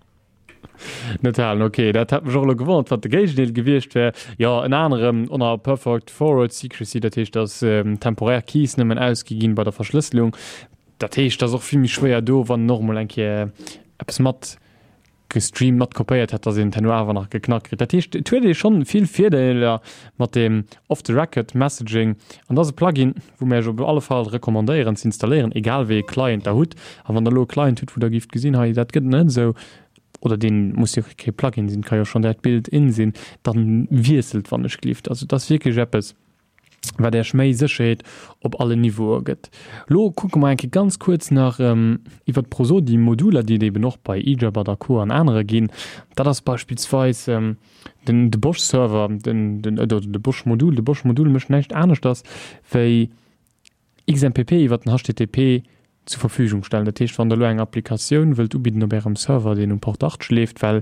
Net halen, okay. Dat hat mech och elo gewonnert, wat de Géigendeel gewiescht wär. Jo, ënner anerem ënner Perfect Forward Secrecy, dat heescht, dass temporär Keys nëmmen ausgi ginn bei der Verschlësselung. Dat heescht, dat ass och vill méi schwéier do, wann en och emol eng Kéier eppes mat gestreamt, mat kopéiert hätt, dass een et herno awer nach geknackt kritt. Dat heescht, et huet ee schonn vill Virdeeler mat deem Off-the-Record-Messaging. An dat ass e Plugin, wou mir iech op alle Fall recommandéieren ze installéieren, egal wéi ee Client der hutt. A wann der elo e Client hutt, wou der gift gesinn, hei, dat gëtt net esou, oder deen muss jo kee Plugin sinn, ka jo schonn direkt Built-in sinn, dann wiesselt, wann ech gelift. Also dat ass wierklech eppes, wat Iech méi Sécherheet op alle Niveaue gëtt. Lo kucke mer eng Kéier ganz kuerz nach iwwer d'Prosodi-Moduler, déi et eben och bei eJabber a Co. An anere ginn. Dat ass beispillsweis den, de Bosch-Server, den, den, oder de Bosch-Modul. De Bosch-Modul mécht näischt aneschters wéi X M P P iwwer den H T T P zur Verfügung stellen. Dat heescht, wann der elo eng Applikatioun wëllt ubidden op ärem Server, deen um Port achtzeg leeft, well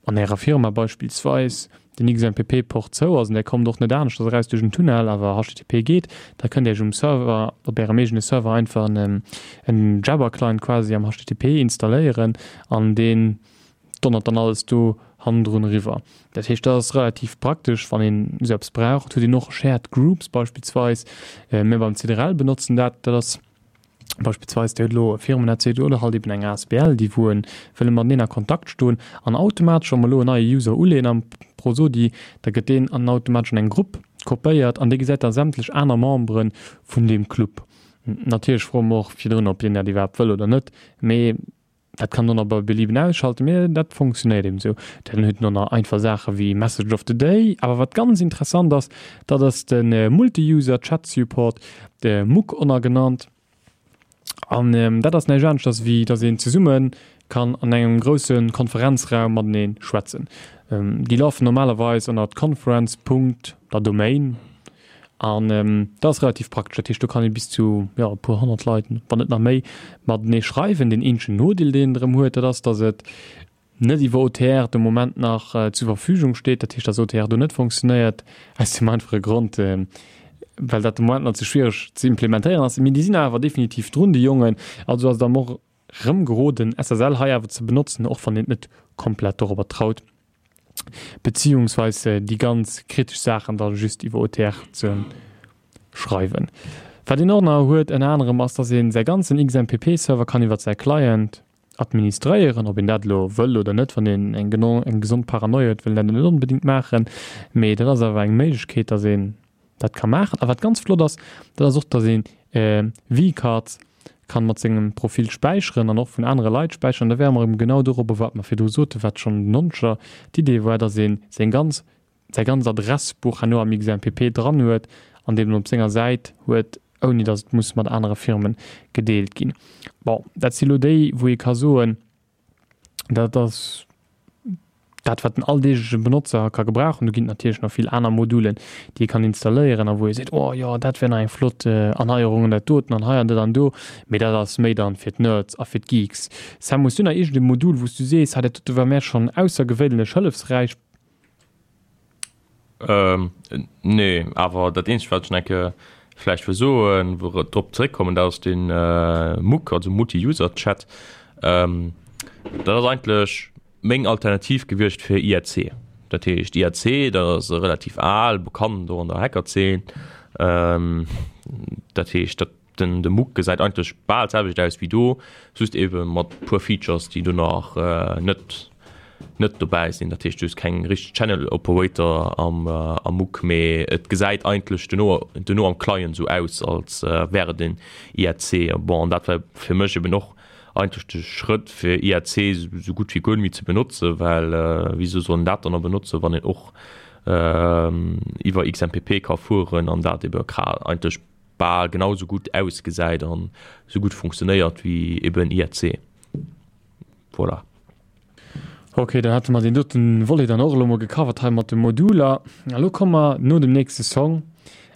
an ärer Firma beispillsweis den X M P P-Port zou ass, und der kommt och net anescht eraus duerch den Tunnel, awer H T T P geet, da könnt ihr euch um Server, op ärem eegene Server einfach en, en Jabber-Client quasi am H T T P installéieren an deen donnert dann alles do hannendrun riwwer. Dat heescht, dat ass relativ praktesch, wann een esou eppes braucht. Huet een och Shared Groups beispillsweis. Äh, mir beim C D R L benotzen dat, dat ass beispillsweis, der huet elo e Firmen-A C D oder halt eben eng A S B L, déi wou en wëlle mateneen a Kontakt stoen an automatesch, wann mer elo en neie User uleeën am Prosodi, da gëtt deen an automatesch an eng Grupp kopéiert an dee gesäit da sämtlech aner Membere vun deem Club. Natierlech froe mer och virdrun, ob deen dat iwwerhaapt wëll oder net, mee dat kann dann bei Belieben ausschalten, mee dat funktionéiert eben sou. Dann huet en nach einfach Saache wéi Message of the Day, awer wat ganz interessant ass, dat ass den Multi-User-Chat-Support, de M U C ënner genannt. An, ähm, dat ass näischt aneschters wéi, dass een zesumme kann an engem grousse Konferenzraum matenee schwätzen. Ähm, déi laufen normalerweis ënner conference punkt der Domain. An, ähm, dat ass relativ praktesch. Dat heescht, do kann ee bis zu, ja, e puer honnert Leit, wann net nach méi, matenee schreiwen. Den eenzegen Nodeel, deen en erëm huet, dat ass, dass et net iwwer O T R de Moment nach, äh, zur Verfügung steet. Dat heescht, dass O T R do net funktionéiert, aus dem einfache Grond, ähm, well dat de Moment nach ze schwierig ze implementéieren ass. Mee déi sinn awer definitiv drun, déi Jongen. Also ass da och rëm geroden, S S L hei awer ze benutzen, och wann een net komplett darüber traut, beziehungsweise déi ganz kritesch Saachen da just iwwer O T R ze schreiwen. Wat een och nach huet, ënner anerem, ass, dass een säi ganzen X M P P-Server kann iwwer säi Client administréieren, ob een dat elo wëll oder net, wann een eng geno-, eng gesond Paranoia huet, wëll dat net onbedingt maachen, mee dat ass awer eng Méiglechkeet, dass een dat kann maachen. A wat ganz flott ass, dat ass och, dass een, äh, V-Cards kann mat sengem Profil späicheren an och vun anere Leit späicheren. Da wäre mer eben genau dorobber, wat mer virdru soten, wat schon den Noncher d'Idee war, dass een seng ganz, säi ganz Adressbuch herno am X M P P dran huet an dem op senger Säit huet, ouni dass et muss mat anere Firmen gedeelt ginn. Bon, dat si lo déi, wou ee ka soen, dat ass dat, wat den alldeegleche Benotzer ka gebrauchen. Do ginn natierlech nach vill aner Modulen, déi ee kann installéieren a wou ee seet, oh ja, dat wär nach eng flott, äh, Erneierung an dat doten an hei an dat an do. Mee dat ass méi dann fir d'Nerds a fir d'Geeks. Sam, hues du nach irgendein Modul, wou du sees, hei, dat dote war mir schon aussergewöhnlich hëllefsreich? Ähm, nee, awer dat eenzegt, wat ech nach eng Kéier vläicht wëll soen, wou ech drop zeréckkommen, dat ass den MUC, also Multi-User-Chat. Dat ass eigentlech meng Alternativ gewiescht fir I R C. Dat heescht I R C, dat ass relativ al, bekannt do an der Hackerzeen. Dat heescht, dat den, de MUC gesäit eigentlech bal d'selwecht aus wéi do, just ebe mat puer Features, déi do nach net, net dobäi sinn. Dat heescht, du hues keng richteg Channel Operator am, am MUC, mee et gesäit eigentlech duerno, duerno am Client esou aus, als wär et en I R C. Bon, an dat war fir mech eben och eigentlech de Schrëtt, fir I R C esou gutt wéi guer net méi ze benotzen, well wieso soll een dat dann nach benotzen, wann een och iwwer X M P P ka fueren an dat ebe eigentlech bal genau sou gutt ausgesäit an sou gutt funktionéiert wéi eben I R C. Voilà. Okay, dann hätte mer den doten Volet dann och elo mol gecovert hei mat de Moduler. A lo komme mer no dem nächste Song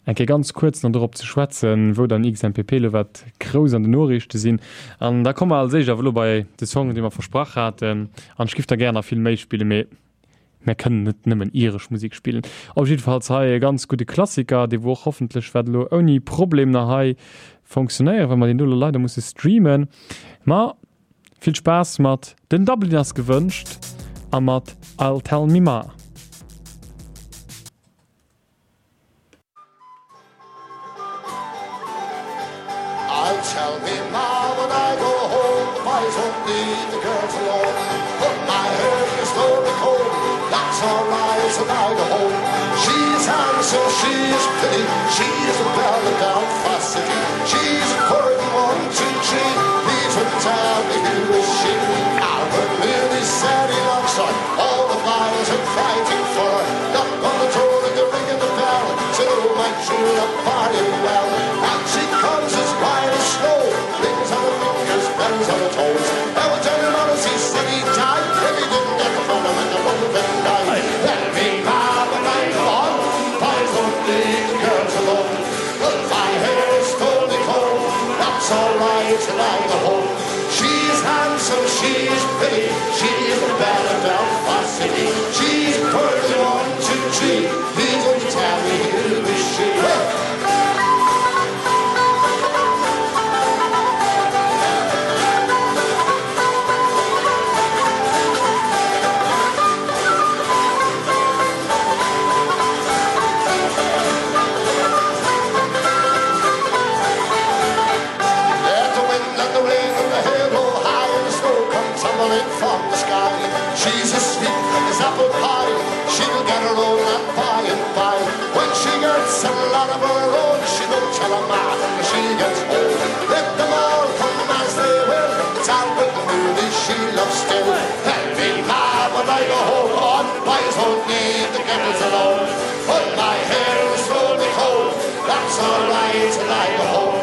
eng Kéier ganz kuerz nach dorop ze schwätzen, wou dann X M P P elo wat grouss an den Noriichte sinn. An da komme mer als éischt awer elo bei de Song, dee mer versprach haten. An ech giff der gär nach vill méi spillen, mee mir kënnen net nëmmen iresch Musik spillen. Op jiddefalls hei e ganz gudde Klassiker, dee wou och hoffentlech wäert elo ouni Problem nach hei funktionéieren, well mer deen do elo leider musse streamen. Ma vill Spaass mat den Dubliners gewënscht a mat I'll Tell Me Ma. I'll tell me ma when I go home, the boys won't leave the girls alone. But my hair is lonely cold, that's all right, and I go home. She's handsome, she's pretty, she's a belle of Belfast City. She's a quirky one, two, three, please would tell me who is she. Albert Mooney said he loves her, all the boys are fighting for her. Knock on the door and the ring of the bell, said, oh my true love, are you well? And she comes as white as snow, rings on her fingers, bells on her toes. I will tell him honest, he said he'd die if he didn't get the phone and the broken night. Let me have a night on, boys don't leave the girls alone. But my hair is totally cold, that's all right, and I go home. She's handsome, she's pretty, she's the belle of Belfast City. She's perfectly one, two, three, please don't tell me who is she. From the sky, she's as sweet as apple pie. She'll get her own and by and by. When she gets a lot of her own, she don't tell her ma when she gets home. Let them all come as they will. It's Albert Mooney she loves still. Tell me ma when I go home, on boys won't leave the girls alone. But my hair is slowly cold. That's all right till I go home.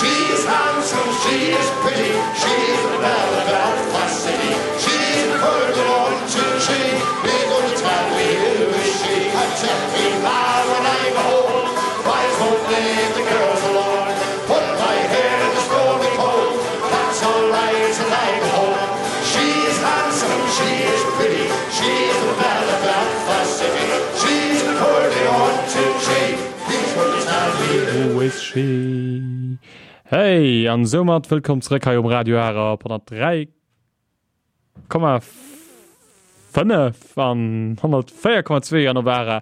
She's handsome, she is pretty, she's the belle of Belfast City. She's the perfect one, two, three, please don't tell me who is she. I tell me ma when I go home, boys won't leave the girls alone. But my hair is slowly cold, that's all right till I go home. She's handsome, she is pretty, she's the belle of Belfast City. She's the perfect one, two, three, please don't tell me who is she. Hey, an soumat wëllkomm zréck hei um Radio Ara op honnertdräi Komma fënnef an honnertvéier Komma zwee an op ara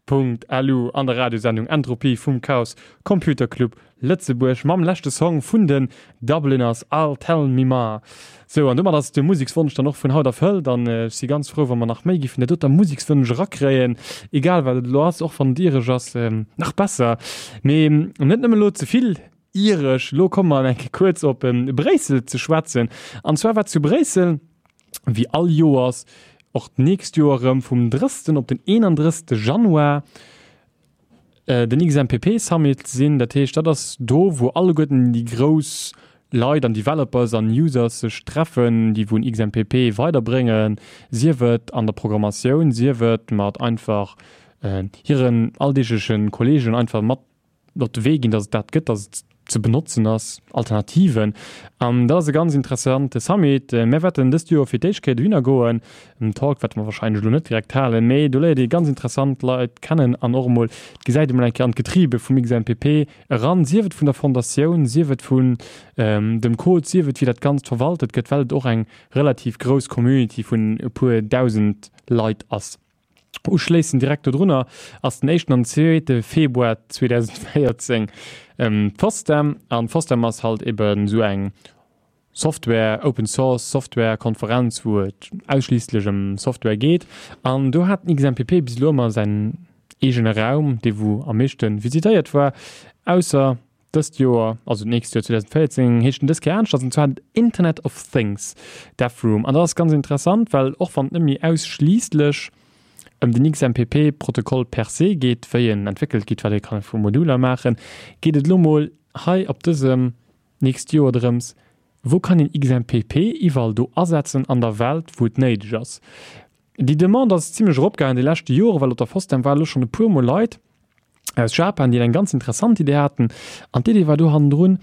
Punkt L U an der Radiosendung Entropie vum Chaos Computer Club Lëtzebuerg mam leschte Song vun den Dubliners I'll Tell Me Ma. Sou, an domat ass de Musekswonsch dann och vun haut erfëllt an ech si ganz frou, wa mer nach méi gi vun der doter Musekswënsch erakréien, egal wat et elo ass, och wann et iresch ass, nach besser. Mee net nëmme elo ze vill iresch, lo komme mer eng Kéier kuerz op Bréissel ze schwätzen. An zwar war zu Bréissel, wéi all Joers, och d'nächst Joer erëm vum drëssten op den eenandrësste Januar, äh, den X M P P Summit sinn. Dat heescht, dat ass do, wou alleguerten déi grouss Leit an Developers an Users sech treffen, déi wou X M P P weiderbréngen, sief et an der Programmatioun, sief et mat einfach, äh, hiren alldeeglechen Kollegen einfach mat op de Wee ginn, dass et dat gëtt, dass et ze benotzen ass, Alternativen. An dat ass e ganz interessante Summit. Mir wäerten dëst Joer fir d'éischt Kéier dohinner goen. En Talk wäerte mer wahrscheinlech elo net direkt halen, mee do léiert ee ganz interessant Leit kennen an och emol, et gesäit emol eng Kéier an d'Getriebe vum X M P P eran, sief et vun der Fondatioun, sief et vun dem Code, sief et wéi dat Ganzt verwaltet gëtt, well et och eng relativ grouss Community vun e puer dausend Leit ass. Uschléissend direkt dodrunner ass den éischten an zweete Februar zweedausendvéierzéng d'FOSDEM. An d'FOSDEM ass halt eben esou eng Software, Open Source Software Konferenz, wou et ausschliisslech ëm Software geet. An do hat den X M P P bis elo ëmmer säin eegene Raum, dee wou am meeschte visitéiert war, ausser dëst Joer, also d'nächst Joer zweedausendvéierzéng, heescht en dës Kéier aneschters, an zwar den Internet of Things Dev Room. An dat ass ganz interessant, well och wann et net méi ausschliisslech ëm den X M P P-Protokoll per se geet, wéi en entwéckelt gëtt, wat ee kann vu Moduler maachen, geet et elo mol hei op dësem nächst Joer drëms, wou kann een X M P P iwwerall do asetzen an der Welt, wou et néideg ass. Déi Demande ass zimmlech eropgaangen déi leschte Jore, well op der FOSDEM war elo schonn e puer mol Leit aus Japan, déi eng ganz interessant Idee haten. An d'Idee war do hannendrun,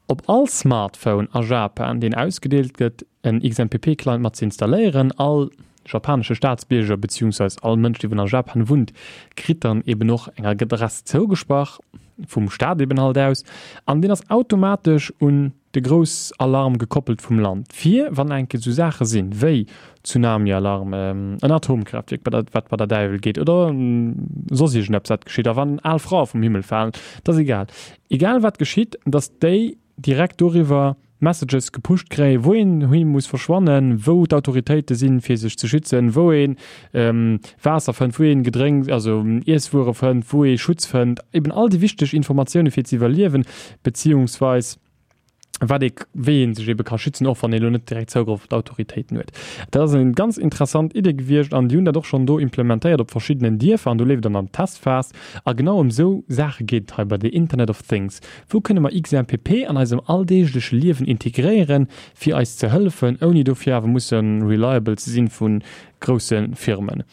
op all Smartphone a Japan, deen ausgedeelt gëtt, en X M P P-Client mat ze installéieren. All japanesche Staatsbierger beziehungsweise all Mënsch, dee a Japan wunnt, kritt dann eben och eng Adress zougesprach, vum Staat eben halt aus, an deen ass automatesch un de Groussalarm gekoppelt vum Land, fir wann enke sou Saache sinn, wéi Tsunami-Alarm, en Atomkraftwierk, bei der, wat bei der Däiwel geet, oder soss iergendeppes, wat geschitt, a wann al Frae vum Himmel falen, dat ass egal. Egal wat geschitt, dass déi direkt doriwwer Messages gepusht kréien, wou een hin muss verschwannen, wou d'Autoritéite sinn, fir sech ze schützen, wou een, ähm, Waasser fënnt, wou een Gedrénks, also Iesswuere fënnt, wou ee Schutz fënnt, eben all déi wichteg Informatioune fir ze iwwerliewen, beziehungsweis wat ee, wéi een sech eben ka schützen, och wann ee lo net direkt Zougrëff op d'Autoritéiten huet. Dat ass eng ganz interessant Idee gewiescht an déi hunn dat och schonn do implementéiert op verschiddenen Dierfer an do leeft dann an Testphas. A genau ëm sou Saache geet et hei bei de Internet of Things. Wou kënne mer X M P P an eisem alldeegleche Liewen integréieren, fir eis ze hëllefen, ouni dofir awer musse reliable ze sinn vu grousse Firmen.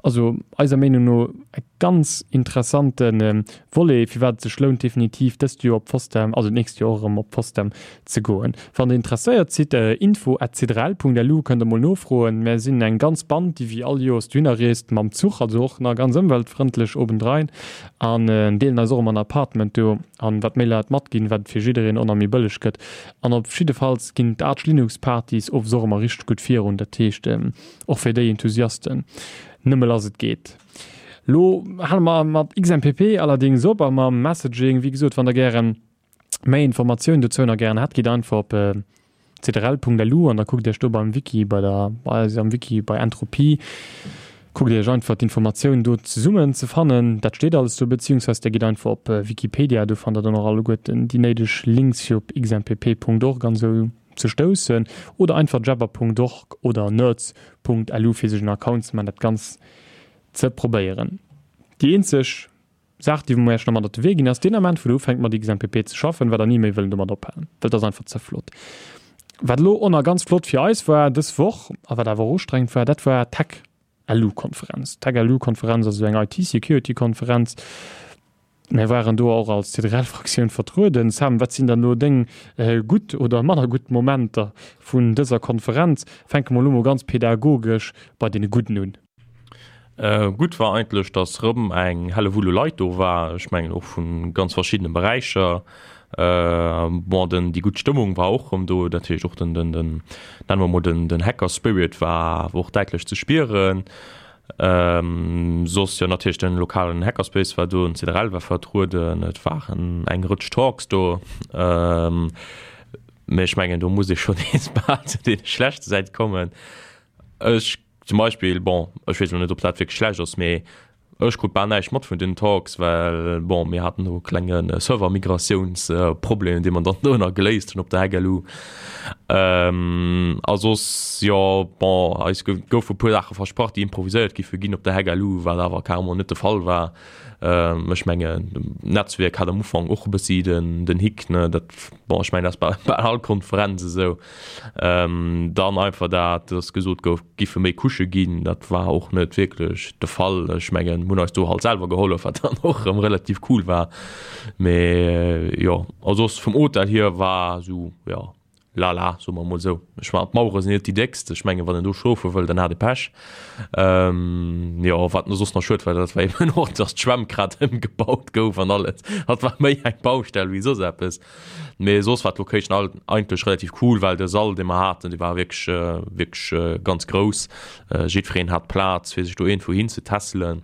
Also eiser Meenung no e ganz interessanten, ähm, Volet, fir wat et sech lount definitiv dëst Joer op FOSDEM, also d'nächst Joer och erëm op FOSDEM ze goen. Wann der interesséiert sidd, äh, info at c drei l punkt l u kënnt der mol nofroen. Mir sinn eng ganz Band, déi wéi all Joers dohinner reest mam Zuch, also och nach ganz ëmweltfrëndlech obendrein, an, äh, deelen eis och ëmmer en Appartement do, an wat méi Leit matginn, wat fir jiddereen och nach méi bëlleg gëtt. An op jiddefalls ginn d'Arch Linux Partys owes och ëmmer richteg gutt virun, dat heescht, ähm, och fir déi Enthusiasten. Nëmme lass et geet. Lo hale mer mat X M P P allerdings op a mam Messaging, wéi gesot, wann der gären méi Informatiounen dozou nach gären hätt, gitt einfach op, äh, c d r l punkt l u an da kuckt Iech do beim Wiki, bei der, bei eis am Wiki bei Entropie, kuckt Iech einfach d'Informatioun do zesummen ze fannen. Dat steet alles do, beziehungsweise der gitt einfach op, äh, Wikipedia, do fannt der dann och alleguerten déi néideg Links fir op x m p p punkt org an sou ze stoussen, oder einfach jabber punkt org oder nerds punkt l u fir sech en Account ze man, dat ganz ze probéieren. Déi eenzeg Saach, déi mir erst noch mat op de Wee ginn, ass deen Ament, wou du ufänkt mat X M P P ze schaffen, wat der nie méi wëllen domat ophalen, well dat ass einfach ze flott. Wat lo och nach ganz flott fir eis war dës Woch, a wat awer och ustrengend war, dat war Tech L U-Konferenz. Tech L U-Konferenz, also eng I T-Security-Konferenz. Mir waren do och als C D R L-Fraktioun vertrueden. Sam, wat sinn dann lo deng, äh, gutt oder manner gutt Momenter vun dëser Konferenz? Fänke mer lo mol ganz pädagogesch bei deene Gudden un. Äh, gutt war eigentlich, dass rëm eng helle Wulle Leit do war. Ech mengen och vun ganz verschiedenen Bereicher. Äh, bon, den, die gutt Stëmmung war och rëm do, natürlich och den, den, den, nennen wir mal den, den Hacker Spirit war och däitlech ze spieren. Ähm, soss ja natürlich den lokalen Hackerspace war do, den C D R L war vertrueden, et waren eng Rutsch Talks do. Ähm, mee ech mengen, do muss ich schon nees bal zu den schlechten Seite kommen. Ech zum Beispiel, bon, ech weess net, ob dat wirklich schlecht ass, mee ech krut bal näischt mat vun den Talks, well, bon, mir hatten do klenge Server-Migratiounsproblemen, déi man dann do nach geléist hunn op der Hack L U. Ähm, a soss, ja, bon, eis goufe puer Sache versprach, déi improviséiert giffe ginn op der Hack L U, wat awer carrément net de Fall war. Ech mengen Netzwerk hat am Ufank och e bëssi den, den Hick, ne, dat, bon, ech mengen dat ass bei, bei all Konferenz esou. Dann einfach dat, dass gesot gouf, giffe méi Couchë ginn, dat war och net wierklech de Fall. Ech mengen, mir hunn eis do halt selwer gehollef, wat dann och erëm relativ cool war. Mee jo, a soss vum Hotel hier war esou, jo, lala, soe mer emol esou. Ech war, d'Mauere sinn net déi déckst, ech mengen, wann een do schlofe wëll, dann hat e Pech. Jo, wat soss nach schued war, dat war eben och, dass d'Schwämm grad ëmgebaut gouf an alles. Dat war méi eng Baustell wéi soss eppes. Mee soss war d'Location all eigentlech relativ cool, well de Sall, dee mer haten, dee war wierklech, wierklech ganz grouss. Jiddwereen hat Plaz, fir sech do iergendwou hinzetesselen.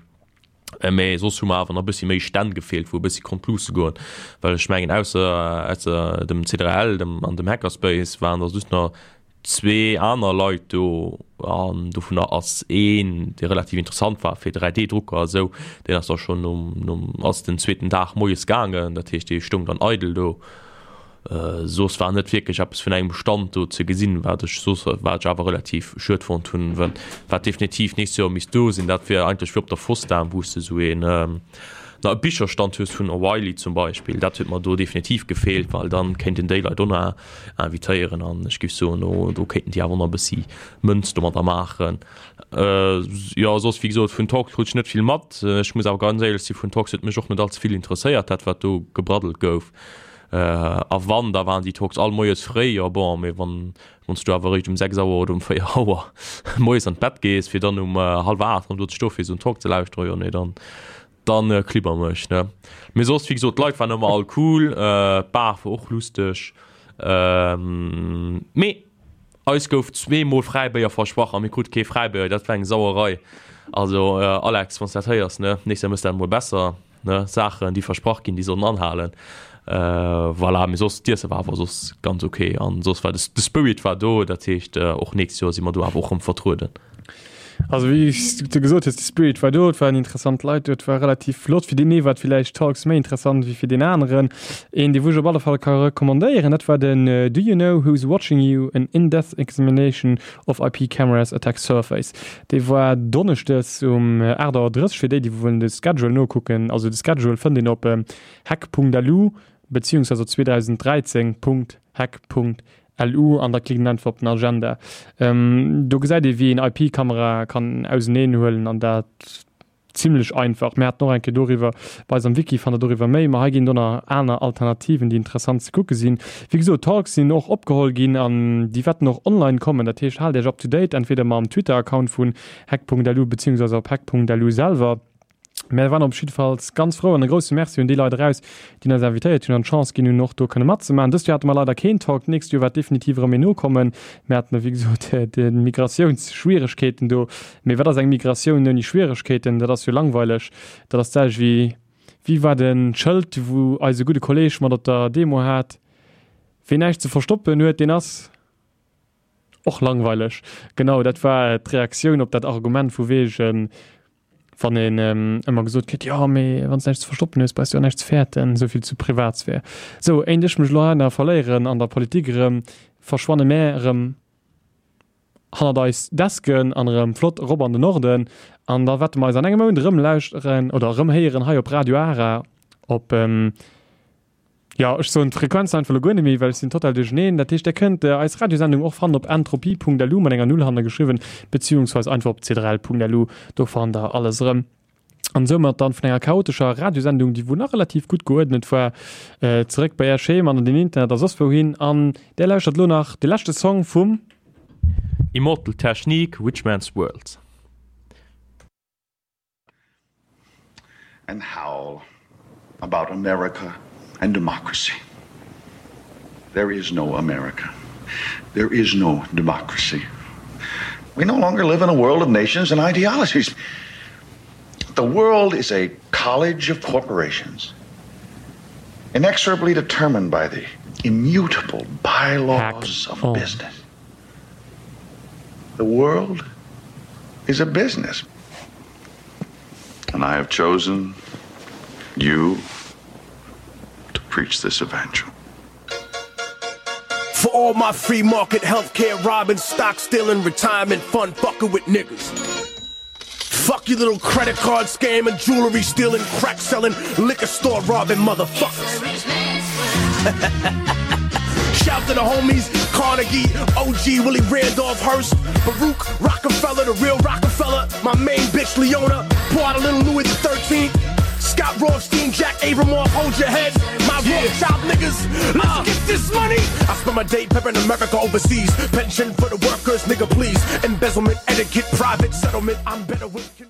Mee soss hu mer awer nach e bëssi méi Stänn gefeelt, wou e bëssi konnt luusse goen. Well ech mengen, ausser, ausser dem C drei L dem, an dem Hackerspace waren da just nach zwee aner Leit do an dovunner ass een, dee relativ interessant war fir drei D Drucker a sou, deen ass da schonn nom, nom, ass den zweeten Dag moies gaangen, dat heescht dee stoung dann eidel do. Soss war net wierklech eppes vun engem Stand do ze gesinn, wat ech soss, wat ech awer relativ schued fonnt hunn, wat definitiv nächst Joer misst do sinn, dat wier eigentlech wéi op der Fosdam, wou s de sou een, na e Bicherstand hues vun O'Reilly zum Beispill, dat huet mer do definitiv gefeelt, well dann kéinten déi Leit och nach invitéieren an ech géif soen, do do kéinten déi awer och nach e bëssi Mënz domadder maachen. Jo, soss wéi gesot, vun Talks krut ech net vill mat. Ech muss awer ganz éierlech si, vun Talks huet mech och net allze vill interesséiert, dat wat do gebraddelt gouf. A wann, da waren déi Talks all moies fréi. Jo bon, mee wann wann s du awer eréischt um sechs Auer oder um véier Auer moies an d'Bett gees, fir dann um hallwer aacht erëm do ze stoe fir esou en Talk ze lauschteren, jo nee, dann Dann klibber mech ne. Mee soss wéi gesot d'Leit waren ëmmer all cool, d'Bar war och lusteg. Mee eis gouf zwee mol Fräibéier versprach a mir krute kee Fräibéier, dat war eng Sauerei. Also Alex, wann s dat héiers ne, nächst Joer mëss dat emol besser ne, Saachen déi versprach ginn, déi sollen anhalen. Voilà, mee soss d'Iesse war awer soss ganz ok an soss war de Spirit war do, dat heescht och nächst Joer si mer do awer och rëm vertrueden. Also wéi du gesot hues, de Spirit war do, et waren interessant Leit do, et war relativ flott. Fir deen ee war et villäicht Talks méi interessant wéi fir deen aneren. Een, dee wou ech op alle Fall ka recommandéieren, dat war den Do you know who's watching you? An in-depth examination of I P cameras attack surface. Dee war donneschdes um aacht Auer drësseg, fir déi, déi wou wëllen de Schedule nokucken. Also de Schedule fënnt een op hack Punkt L U beziehungsweise op zweedausenddräizéng Punkt hack Punkt L U an da klickt een einfach op den Agenda. Do gesäit ee wéi een I P-Kamera kann auseneen huelen an dat zimlech einfach. Mir haten och eng Kéier doriwwer bei eis am Wiki, fannt der doriwwer méi, ma hei ginn et och nach aner Alternativen, déi interessant ze kucke sinn. Wéi gesot, Talks sinn och opgeholl ginn an déi wäerten och online kommen. Dat heescht, haalt Iech up to date, entweder mam Twitter-Account vun hack Punkt L U beziehungsweise op hack Punkt L U selwer. Mär waren op jiddefalls ganz frou an e grousse Merci un déi Leit eraus, déi eis invitéiert hunn an d'Chance ginn hunn, och do kënne matzemaachen. Dëst Joer hate mer leider keen Talk, d'nächst Joer wäert definitiv erëm een nokommen. Mir haten, wéi gesot, déi Migratiounsschwieregkeeten do. Mee wat ass eng Migratioun ouni Schwieregkeeten? Dat ass jo langweileg. Dat ass d'selwecht wéi, wéi war de Schëld, wou eise gudde Kolleeg mat op der Demo hat, Ween näischt ze verstoppen huet, deen ass. Och langweileg. Genau, dat war d'Reaktioun op dat Argument vu wegen, wann een ëmmer gesot kritt, jo, mee wann s de näischt ze verstoppen hues, brauchs de och näischt ze fäerten. Esou vill zu Privatsphär. Sou, éint ech mech elo hei nach verléieren an der Politik erëm, verschwanne mär erëm hannert eis Desken an erëm flott erop an den Norden. An da wäerte mer eis an engem Mount erëm lauschteren oder erëm héieren hei op Radio Ara op. Jo, ech soen d'Frequenz einfach elo guer net méi, well ech sinn total duercheneen. Dat heescht, Dir kënnt eis Radiosendung och fannen op entropie Punkt lu mat enger Null hanne geschriwwen, beziehungsweise einfach op c drei l Punkt lu, do fannt Der alles erëm. An soumat dann vun enger chaotescher Radiosendung, déi wou nach relativ gutt geuerdnet war, zeréck bei Är Scheem an an den Internet a soss wouhin. An Där lauschtert elo nach de leschte Song vum. Immortal Technique, Rich Man's World. And howl about America and democracy. There is no America. There is no democracy. We no longer live in a world of nations and ideologies. The world is a college of corporations, inexorably determined by the immutable bylaws Hack of on. business. The world is a business. And I have chosen you to preach this evangel. For all my free market healthcare robbing, stock stealing, retirement fund fucker with niggas. Fuck you little credit card scam and jewelry stealing, crack selling, liquor store robbing motherfuckers. Shout to the homies, Carnegie, OG, Willie Randolph Hearst, Baruch, Rockefeller, the real Rockefeller, my main bitch Leona, pour out a little Louis the Thirteenth. Scott Rothstein, Jack Abramoff, hold your head. My Rothschild niggas, let's get this money. I spend my day pimping America overseas. Pension for the workers, nigga, please. Embezzlement, etiquette, private settlement. I'm better with.